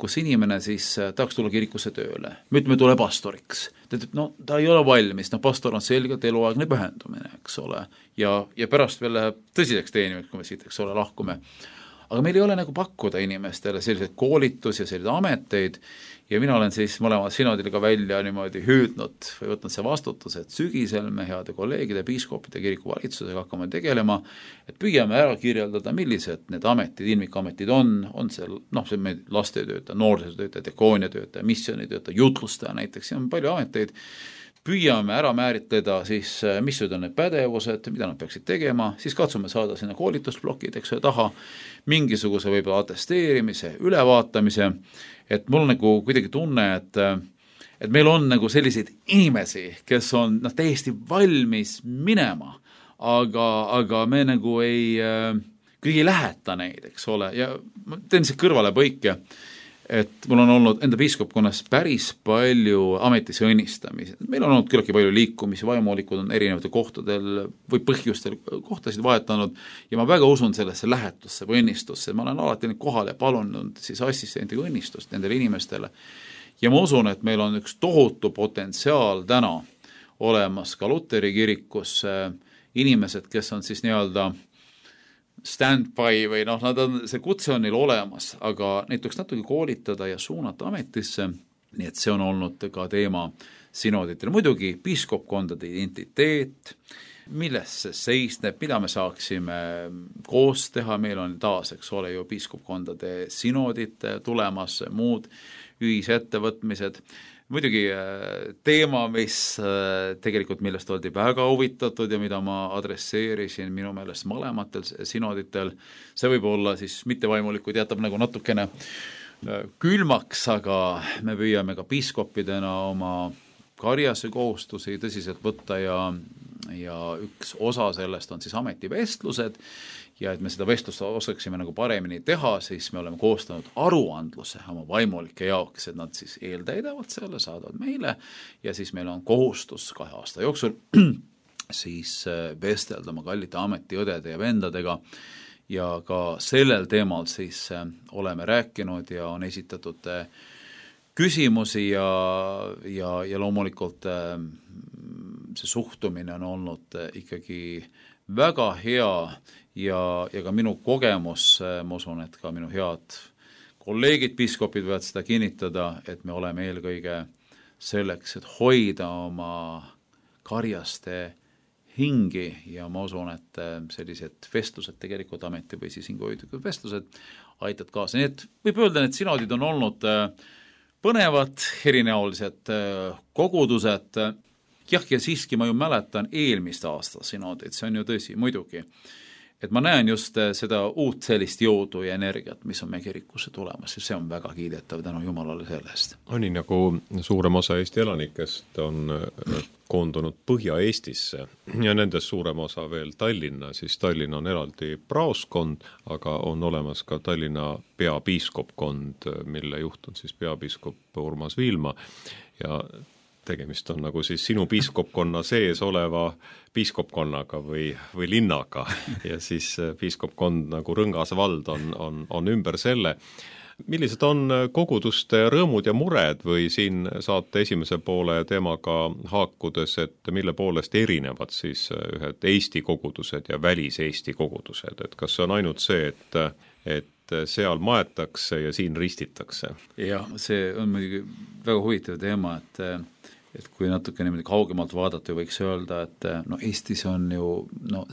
kus inimene siis tahaks tulla kirikusse tööle. Me ütleme, tule pastoriks. Ta ei ole valmis, pastor on selgelt eluaegne pühendumine, eks ole. Ja pärast veel läheb tõsiseks teenimaks, kui me siit, eks ole, lahkume. aga meil ei ole nagu pakkuda inimestele selliseid koolitus ja selliseid ameteid ja mina olen siis mõlema sinodil ka välja niimoodi hüüdnud või võtnud see vastutus, et sügisel me heade kolleegide, piiskopide, kiriku valitsusega hakkame tegelema, et püüame ära kirjeldada, millised need ametid, ilmikametid on see, see meil lastetöötaja, noorsootöötaja, dekooniatöötaja, missioonitöötaja, jutlustaja näiteks, ja on palju ameteid, püüame ära määritleda siis, mis on need pädevused, mida nad peaksid tegema, siis katsume saada sinna koolitusblokid, eks ole, taha, mingisuguse võib-olla atesteerimise, ülevaatamise, et mul nagu kuidagi tunne, et meil on nagu selliseid inimesi, kes on täiesti valmis minema, aga me nagu kuidagi ei läheta neid, eks ole, ja ma teen see kõrvale põike, et mul on olnud enda piiskopkonnas päris palju ametisse õnnistamisi. Meil on olnud küllaltki palju liikumisi, vaimulikud on erinevatel kohtadel või põhjustel kohtasid vahetanud ja ma väga usun sellesse lähetusse või õnnistusse. Ma olen alati neid kohale palunud siis assistentiga õnnistust nendele inimestele. Ja ma usun, et meil on üks tohutu potentsiaal täna olemas ka Luteri kirikus inimesed, kes on siis nii-öelda stand-by või nad on, see kutse on neil olemas, aga neid tuleks natuke koolitada ja suunata ametisse, nii et see on olnud ka teema sinoditel. Muidugi piiskopkondade identiteet, milles see seisneb, mida me saaksime koos teha, meil on taas, eks ole ju, piiskopkondade sinodid tulemas, muud ühisettevõtmised. Muidugi teema, mis tegelikult millest oldi väga huvitatud ja mida ma adresseerisin minu meelest mõlematel sinoditel, see võib olla siis mittevaimulikud, jätab nagu natukene külmaks, aga me püüame ka piiskopidena oma karjase kohustusi tõsiselt võtta ja üks osa sellest on siis ametivestlused ja et me seda vestlust osaksime nagu paremini teha, siis me oleme koostanud aruandluse oma vaimulike jaoks, et nad siis eeltäidavad selle, saadavad meile ja siis meil on kohustus 2 aasta jooksul siis vestelda oma kallite ametiõdede ja vendadega ja ka sellel teemal siis oleme rääkinud ja on esitatud küsimusi ja loomulikult see suhtumine on olnud ikkagi väga hea ja ka minu kogemus, ma usun, et ka minu head kolleegid, piiskopid võivad seda kinnitada, et me oleme eelkõige selleks, et hoida oma karjaste hingi ja ma usun, et sellised vestlused tegelikult ameti või siis hinguhoidlikud vestlused aitavad kaasa. Nii et võib öelda, et sinodid on olnud põnevad, erinäolised kogudused. Jah, ja siiski ma ju mäletan eelmist aasta sinodid, see on ju tõsi, muidugi. Et ma näen just seda uut sellist jõudu ja energiat, mis on meie kirikusse tulemas ja see on väga kiidetav tänu Jumalale sellest. Nii nagu suurem osa Eesti elanikest on koondunud Põhja-Eestisse ja nendest suurem osa veel Tallinna, siis Tallinn on eraldi praoskond, aga on olemas ka Tallinna peapiiskopkond, mille juht on siis peapiiskop Urmas Viilma ja tegemist on nagu siis sinu piiskopkonna sees oleva piiskopkonnaga või linnaga ja siis piiskopkond nagu Rõngas vald on ümber selle. Millised on koguduste rõõmud ja mured või siin saate esimese poole teemaga haakudes, et mille poolest erinevad siis ühed Eesti kogudused ja välis-Eesti kogudused, et kas see on ainult see, et seal maetakse ja siin ristitakse? Jah, see on muidugi väga huvitav teema, et kui natuke niimoodi kaugemalt vaadata, võiks öelda, et Eestis on ju,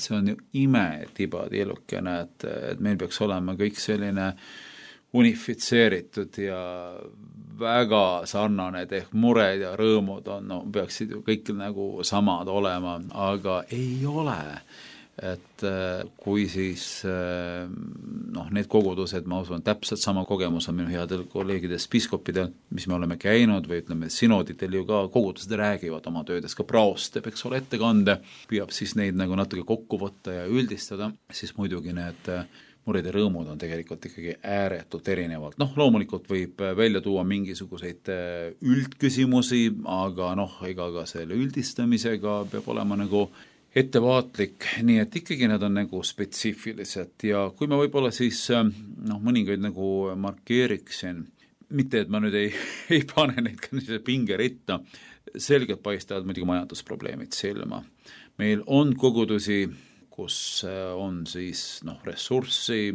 see on ju imetibadielukene, et meil peaks olema kõik selline unifitseeritud ja väga sarnane, ehk mured ja rõõmud peaksid ju kõik nagu samad olema, aga ei ole. Et kui siis need kogudused, ma usun, täpselt sama kogemus on minu headel kolleegidest piiskopidel, mis me oleme käinud või ütleme, sinoditel ju ka kogudused räägivad oma töödes, ka praost teeb, eks ole, ettekande, püüab siis neid nagu natuke kokku võtta ja üldistada, siis muidugi need mured ja rõõmud on tegelikult ikkagi ääretult erinevalt. Loomulikult võib välja tuua mingisuguseid üldküsimusi, aga ega ka selle üldistamisega peab olema nagu ettevaatlik, nii et ikkagi nad on nagu spetsiifilised ja kui ma võib-olla siis mõningaid nagu markeeriksin, mitte et ma nüüd ei pane neid ka pingeritta, selgelt paistavad muidugi majandusprobleemid silma. Meil on kogudusi, kus on siis ressurssi,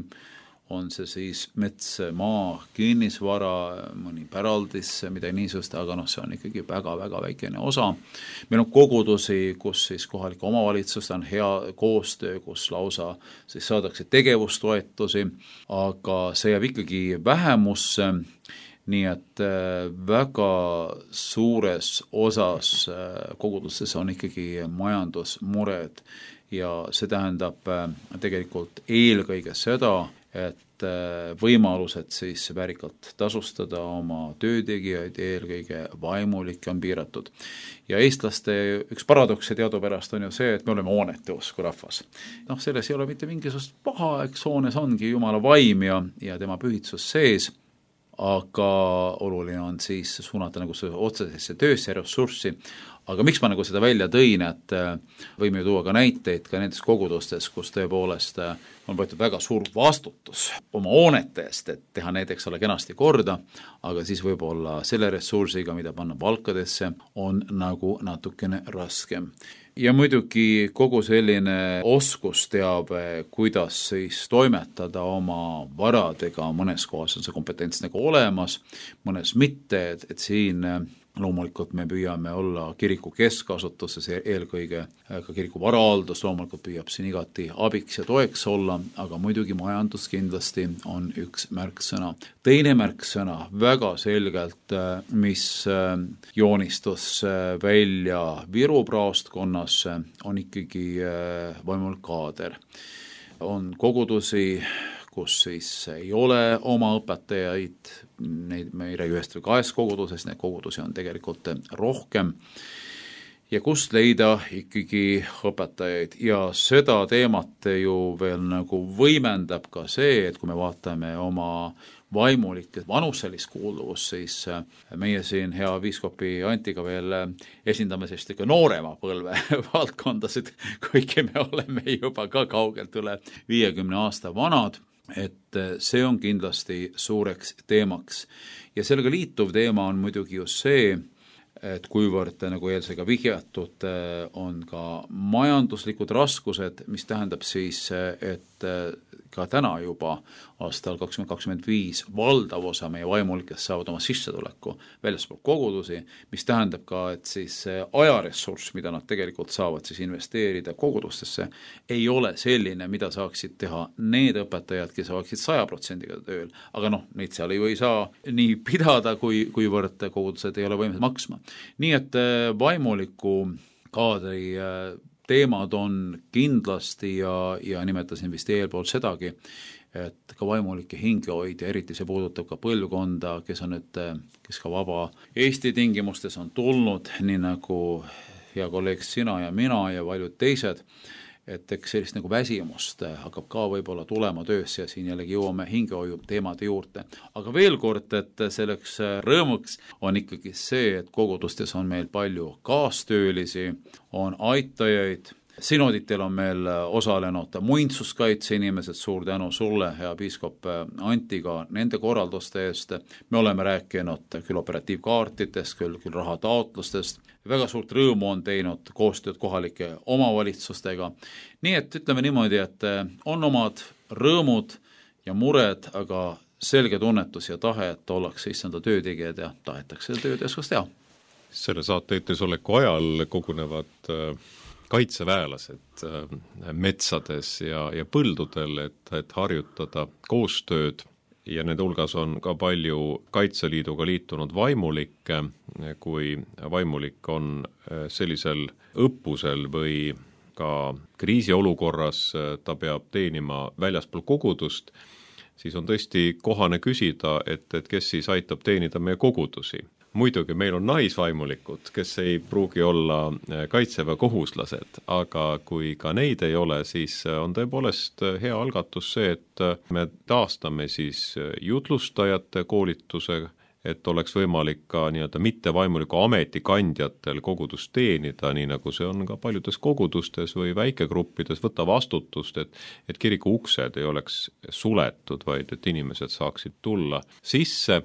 on see siis mets, maa, kinnisvara, mõni päraldis, midagi niisugust, aga see on ikkagi väga-väga väikene osa. Meil on kogudusi, kus siis kohalike omavalitsuste on hea koostöö, kus lausa siis saadakse tegevustoetusi, aga see jääb ikkagi vähemusse, nii et väga suures osas kogudustes on ikkagi majandusmured ja see tähendab tegelikult eelkõige seda, et võimalused siis väärikalt tasustada oma töötegijaid, eelkõige vaimulikke on piiratud. Ja eestlaste üks paradoks teadupärast on ju see, et me oleme hoonete usku rahvas. Selles ei ole mitte mingisugust paha, eks hoones ongi Jumala vaim ja tema pühitsus sees, aga oluline on siis suunata nagu see otsesesse töösse ressurssi. Aga miks ma nagu seda välja tõin, et võime ju tuua ka näiteid ka nendes kogudustes, kus tõepoolest on võetud väga suur vastutus oma hoonete eest, et teha näiteks ole kenasti korda, aga siis võib-olla selle ressursiga, mida panna palkadesse, on nagu natukene raskem. Ja muidugi kogu selline oskusteabe, kuidas siis toimetada oma varadega, mõnes kohas on see kompetents nagu olemas, mõnes mitte, et siin loomulikult me püüame olla kiriku keskasutuses, eelkõige ka kiriku varahaldus loomulikult püüab siin igati abiks ja toeks olla, aga muidugi majandus kindlasti on üks märksõna. Teine märksõna väga selgelt, mis joonistus välja Viru praostkonnas, on ikkagi vaimulik kaader. On kogudusi, kus siis ei ole oma õpetajaid, neid me ei räägi ühest või kahest kogudusest, need kogudusi on tegelikult rohkem, ja kust leida ikkagi õpetajaid. Ja seda teemat ju veel nagu võimendab ka see, et kui me vaatame oma vaimulikke vanuselist kuuluvust, siis meie siin hea piiskopi Antiga veel esindame sellist ikka noorema põlve valdkondasid, kuigi me oleme juba ka kaugelt üle 50 aasta vanad, et see on kindlasti suureks teemaks. Ja sellega liituv teema on muidugi just see, et kuivõrd nagu eelsega vihjatud on ka majanduslikud raskused, mis tähendab siis, et ka täna juba aastal 2025 valdav osa meie vaimulikest saavad oma sissetuleku väljaspool kogudusi, mis tähendab ka, et siis ajaressurss, mida nad tegelikult saavad siis investeerida kogudustesse, ei ole selline, mida saaksid teha need õpetajad, kes oleksid 100% tööl, aga neid seal ju ei saa nii pidada, kuivõrd kogudused ei ole võimelised maksma. Nii et vaimuliku kaadri teemad on kindlasti ja nimetasin vist eelpool sedagi, et ka vaimulike hingehoid ja eriti see puudutab ka põlvkonda, kes ka vaba Eesti tingimustes on tulnud, nii nagu hea kolleeg sina ja mina ja paljud teised, et eks sellist nagu väsimust hakkab ka võib-olla tulema töösse ja siin jällegi jõuame hingehoiu teemade juurde. Aga veel kord, et selleks rõõmuks on ikkagi see, et kogudustes on meil palju kaastöölisi, on aitajaid. Sinoditel on meil osalenud muinsuskaitse inimesed, suur tänu sulle, hea piiskop Antiga, nende korralduste eest. Me oleme rääkinud küll operatiivkaartitest, küll rahataotlustest. Väga suurt rõõmu on teinud koostööd kohalike omavalitsustega. Nii et ütleme niimoodi, et on omad rõõmud ja mured, aga selge tunnetus ja tahe, et ollakse issanda töötegijad ja tahetakse tööteoskus teha. Selle saate eetris-oleku ajal kogunevad kaitseväelased metsades ja põldudel, et harjutada koostööd ja nende hulgas on ka palju Kaitseliiduga liitunud vaimulikke, kui vaimulik on sellisel õppusel või ka kriisiolukorras ta peab teenima väljaspool kogudust, siis on tõesti kohane küsida, et kes siis aitab teenida meie kogudusi. Muidugi meil on naisvaimulikud, kes ei pruugi olla kaitseväekohuslased, aga kui ka neid ei ole, siis on tõepoolest hea algatus see, et me taastame siis jutlustajate koolituse, et oleks võimalik ka nii-öelda mittevaimuliku ametikandjatel kogudust teenida, nii nagu see on ka paljudes kogudustes või väikegruppides, võtta vastutust, et kiriku uksed ei oleks suletud, vaid et inimesed saaksid tulla sisse.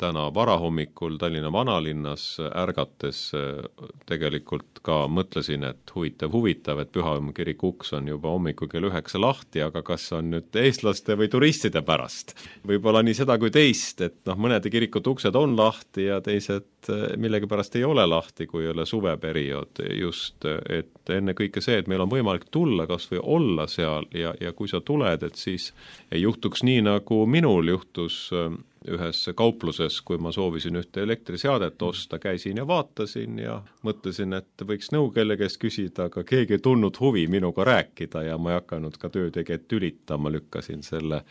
täna varahommikul Tallinna vanalinnas ärgates tegelikult ka mõtlesin, et huvitav, et Pühahomme kiriku uks on juba hommikul kell 9 lahti, aga kas on nüüd eestlaste või turistide pärast? Võib-olla nii seda kui teist, et mõnede kirikute uksed on lahti ja teised millegipärast ei ole lahti, kui ei ole suveperiood just, et enne kõike see, et meil on võimalik tulla kas või olla seal ja kui sa tuled, et siis ei juhtuks nii, nagu minul juhtus ühes kaupluses, kui ma soovisin ühte elektriseadet osta, käisin ja vaatasin ja mõtlesin, et võiks nõu kelle käest küsida, aga keegi ei tulnud huvi minuga rääkida ja ma ei hakanud ka töötegijat tülitama, lükkasin selle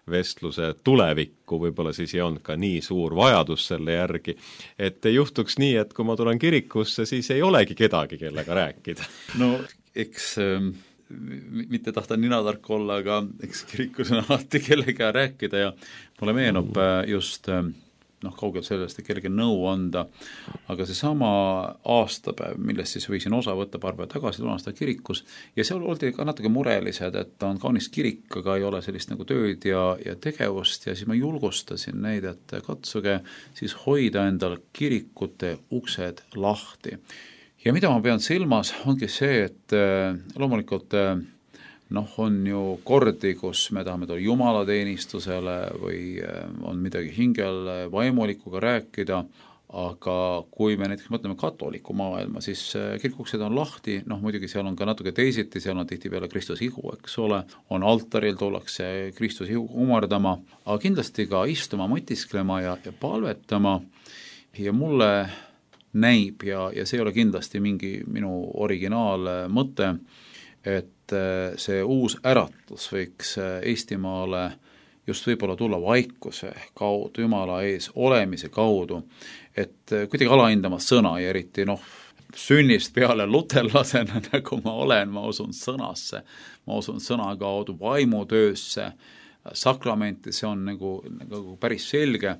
vestluse tulevikku, võib-olla siis ei olnud ka nii suur vajadus selle järgi, et ei juhtuks nii, et kui ma tulen kirikusse, siis ei olegi kedagi, kellega rääkida. No eks mitte tahta ninatark olla, aga eks kirikus on alati kellega rääkida ja mulle meenub just kaugel sellest, et kellegi nõu anda, aga seesama aastapäev, millest siis võisin osa võtta paar päeva tagasi, tulen seda kirikus ja seal oldi ka natuke murelised, et on kaunis kirik, aga ei ole sellist nagu tööd ja tegevust ja siis ma julgustasin neid, et katsuge siis hoida endal kirikute uksed lahti. Ja mida ma pean silmas, ongi see, et loomulikult on ju kordi, kus me tahame tulla jumalateenistusele või on midagi hingel vaimulikuga rääkida, aga kui me näiteks mõtleme katoliku maailma, siis kirikuksed on lahti, muidugi seal on ka natuke teisiti, seal on tihtipeale Kristuse ihu, eks ole, on altaril, tullakse Kristuse ihu kumardama, aga kindlasti ka istuma, mõtisklema ja palvetama ja mulle näib ja see ei ole kindlasti mingi minu originaalmõte, et see uus äratus võiks Eestimaale just võib-olla tulla vaikuse kaudu, Jumala ees olemise kaudu, et kuidagi alahindama sõna ja eriti sünnist peale luterlasena, nagu ma olen, ma usun sõnasse, ma usun sõna kaudu vaimutöösse, sakramenti, see on nagu päris selge,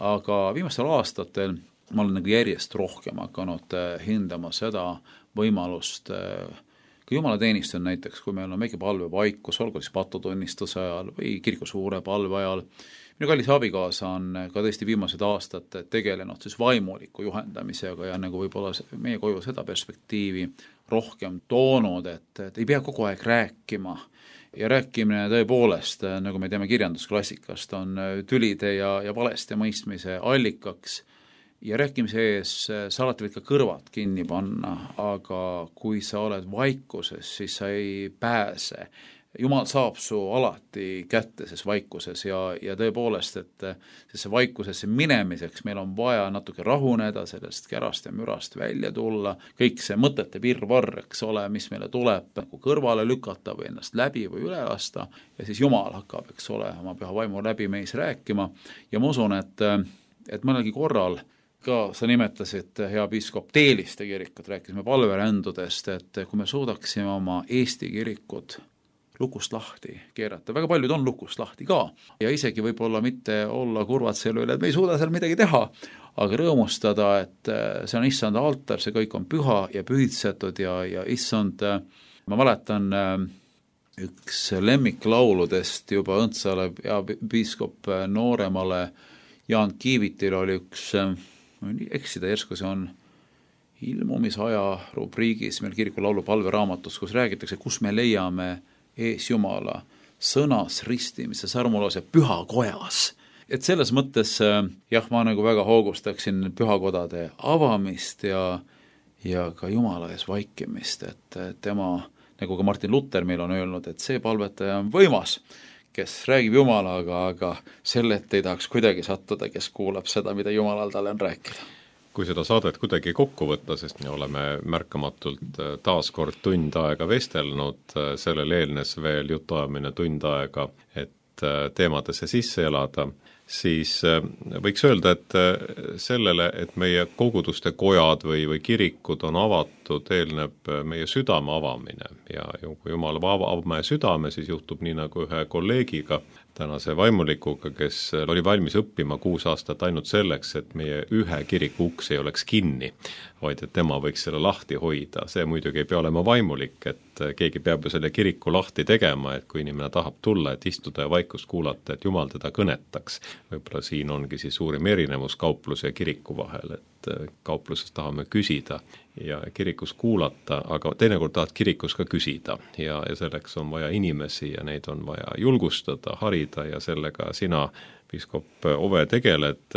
aga viimastel aastatel ma olen järjest rohkem hakanud hindama seda võimalust, kui jumalateenistus on näiteks, kui meil on väike palvevaikus, olgu siis patutunnistuse ajal või kiriku suure palve ajal, minu kallis abikaasa on ka tõesti viimased aastad tegelenud siis vaimuliku juhendamisega ja nagu võib-olla meie koju seda perspektiivi rohkem toonud, et ei pea kogu aeg rääkima ja rääkimine tõepoolest, nagu me teame kirjandusklassikast, on tülide ja valeste mõistmise allikaks ja rääkimise ees sa alati võid ka kõrvad kinni panna, aga kui sa oled vaikuses, siis sa ei pääse. Jumal saab su alati kätte ses vaikuses ja tõepoolest, et see vaikusesse minemiseks meil on vaja natuke rahuneda, sellest kärast ja mürast välja tulla, kõik see mõtete virvarr, eks ole, mis meile tuleb kõrvale lükata või ennast läbi või üle lasta ja siis Jumal hakkab, eks ole, oma püha vaimu läbi meis rääkima ja ma usun, et mõnelgi korral ka sa nimetasid, hea piiskop, Teeliste kirikut, rääkisime palverändudest, et kui me suudaksime oma Eesti kirikud lukust lahti keerata, väga paljud on lukust lahti ka ja isegi võib-olla mitte olla kurvad selle üle, et me ei suuda seal midagi teha, aga rõõmustada, et see on issanda altar, see kõik on püha ja pühitsetud ja issand, ma mäletan üks lemmiklauludest juba Õndsale ja piiskop nooremale Jaan Kiivitil oli üks eksida järsku, see on ilmumisaja rubriigis meil kiriku laulu palveraamatus, kus räägitakse, kus me leiame ees Jumala sõnas ristimise sarmulause pühakojas. Et selles mõttes jah, ma nagu väga hoogustaksin pühakodade avamist ja ka Jumala ees vaikimist, et tema, nagu ka Martin Luther meil on öelnud, et see palvetaja on võimas, kes räägib Jumalaga, aga sellelt ei tahaks kuidagi sattuda, kes kuulab seda, mida Jumalal talle on rääkida. Kui seda saadet kuidagi kokku võtta, sest me oleme märkamatult taaskord tund aega vestelnud, sellel eelnes veel jutuajamine tund aega, et teemadesse sisse elada, siis võiks öelda, et sellele, et meie koguduste kojad või kirikud on avatud, eelneb meie südame avamine ja kui Jumal avab meie südame, siis juhtub nii nagu ühe kolleegiga. tänase vaimulikuga, kes oli valmis õppima 6 aastat ainult selleks, et meie ühe kiriku uks ei oleks kinni, vaid et tema võiks selle lahti hoida. See muidugi ei pea olema vaimulik, et keegi peab ju selle kiriku lahti tegema, et kui inimene tahab tulla, et istuda ja vaikust kuulata, et Jumal teda kõnetaks. Võib-olla siin ongi siis suurim erinevus kaupluse ja kiriku vahel, et kaupluses tahame küsida ja kirikus kuulata, aga teinekord tahad kirikus ka küsida ja selleks on vaja inimesi ja neid on vaja julgustada, harida ja sellega sina, piiskop Ove, tegeled.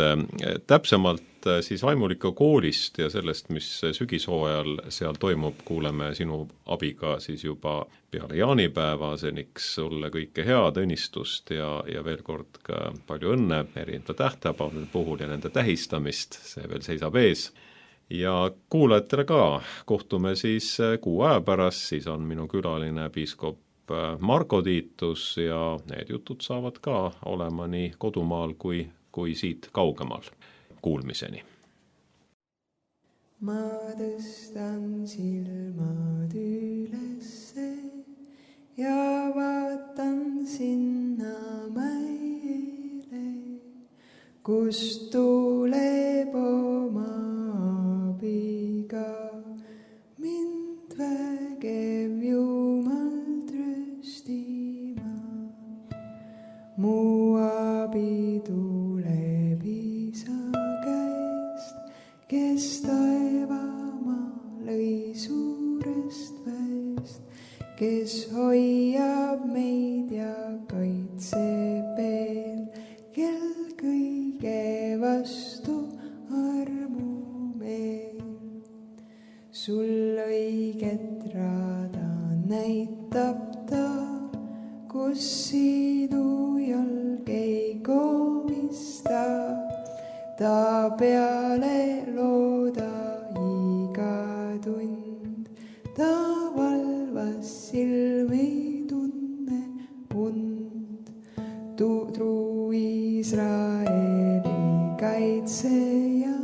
Täpsemalt siis vaimuliku koolist ja sellest, mis sügishooajal seal toimub, kuuleme sinu abiga siis juba peale jaanipäeva. Seniks sulle kõike head, õnnistust ja veel kord ka palju õnne erinevate tähtpäevade puhul ja nende tähistamist, see veel seisab ees. Ja kuulajatele ka, kohtume siis kuu aja pärast, siis on minu külaline piiskop Marko Tiitus ja need jutud saavad ka olema nii kodumaal kui siit kaugemal. Kuulmiseni. Ma tõstan silmad ülesse ja vaatan sinna mäele, kust tuleb oma abiga mind vägev Jumal tröstima. Mu abi tuleb Isa käest, kes taevamaa lõi suurest väest, kes hoiab meid ja kaitseb veel, kel kõige vastu armu meil. Sul õiget rada näitab ta, kus sinu jalg ei komista. Ta peale looda iga tund, ta valvas silmi tunne und. Truu Iisraeli kaitseja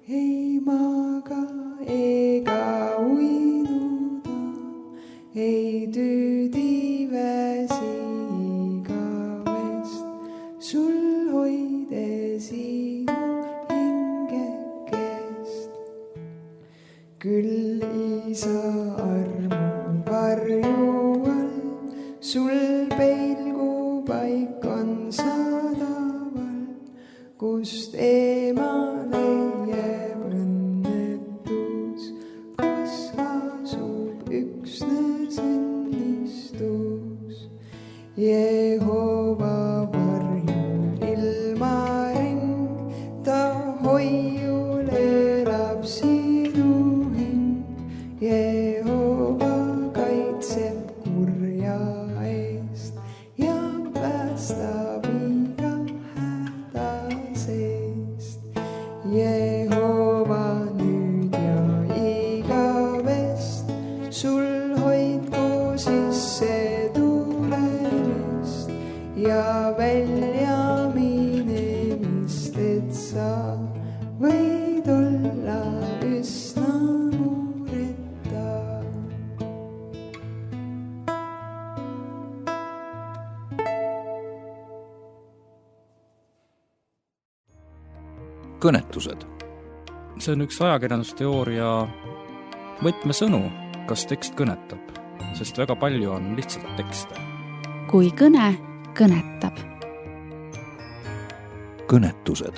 ei maga ega uinuda, ei tüüdi väsi igavest, sul hoide sinu hingekest. Küll Isa armu varju all, sul peilgupaik on sadaval, kust eemale jääb õnnetus, kus asub üksnes õnnistus. Jehova varjul ilmaring, ta hoiul elab sinu hing. Jehova kaitseb kurja eest ja päästab iga häda seest. Jehova nüüd ja igavest, sul hoidku sisse tulemist ja välja minemist, et sa võid olla üsna mureta. Kõnetused. See on üks ajakirjandusteooria võtmesõnu, kas tekst kõnetab, sest väga palju on lihtsalt tekste. Kui kõne kõnetab. Kõnetused.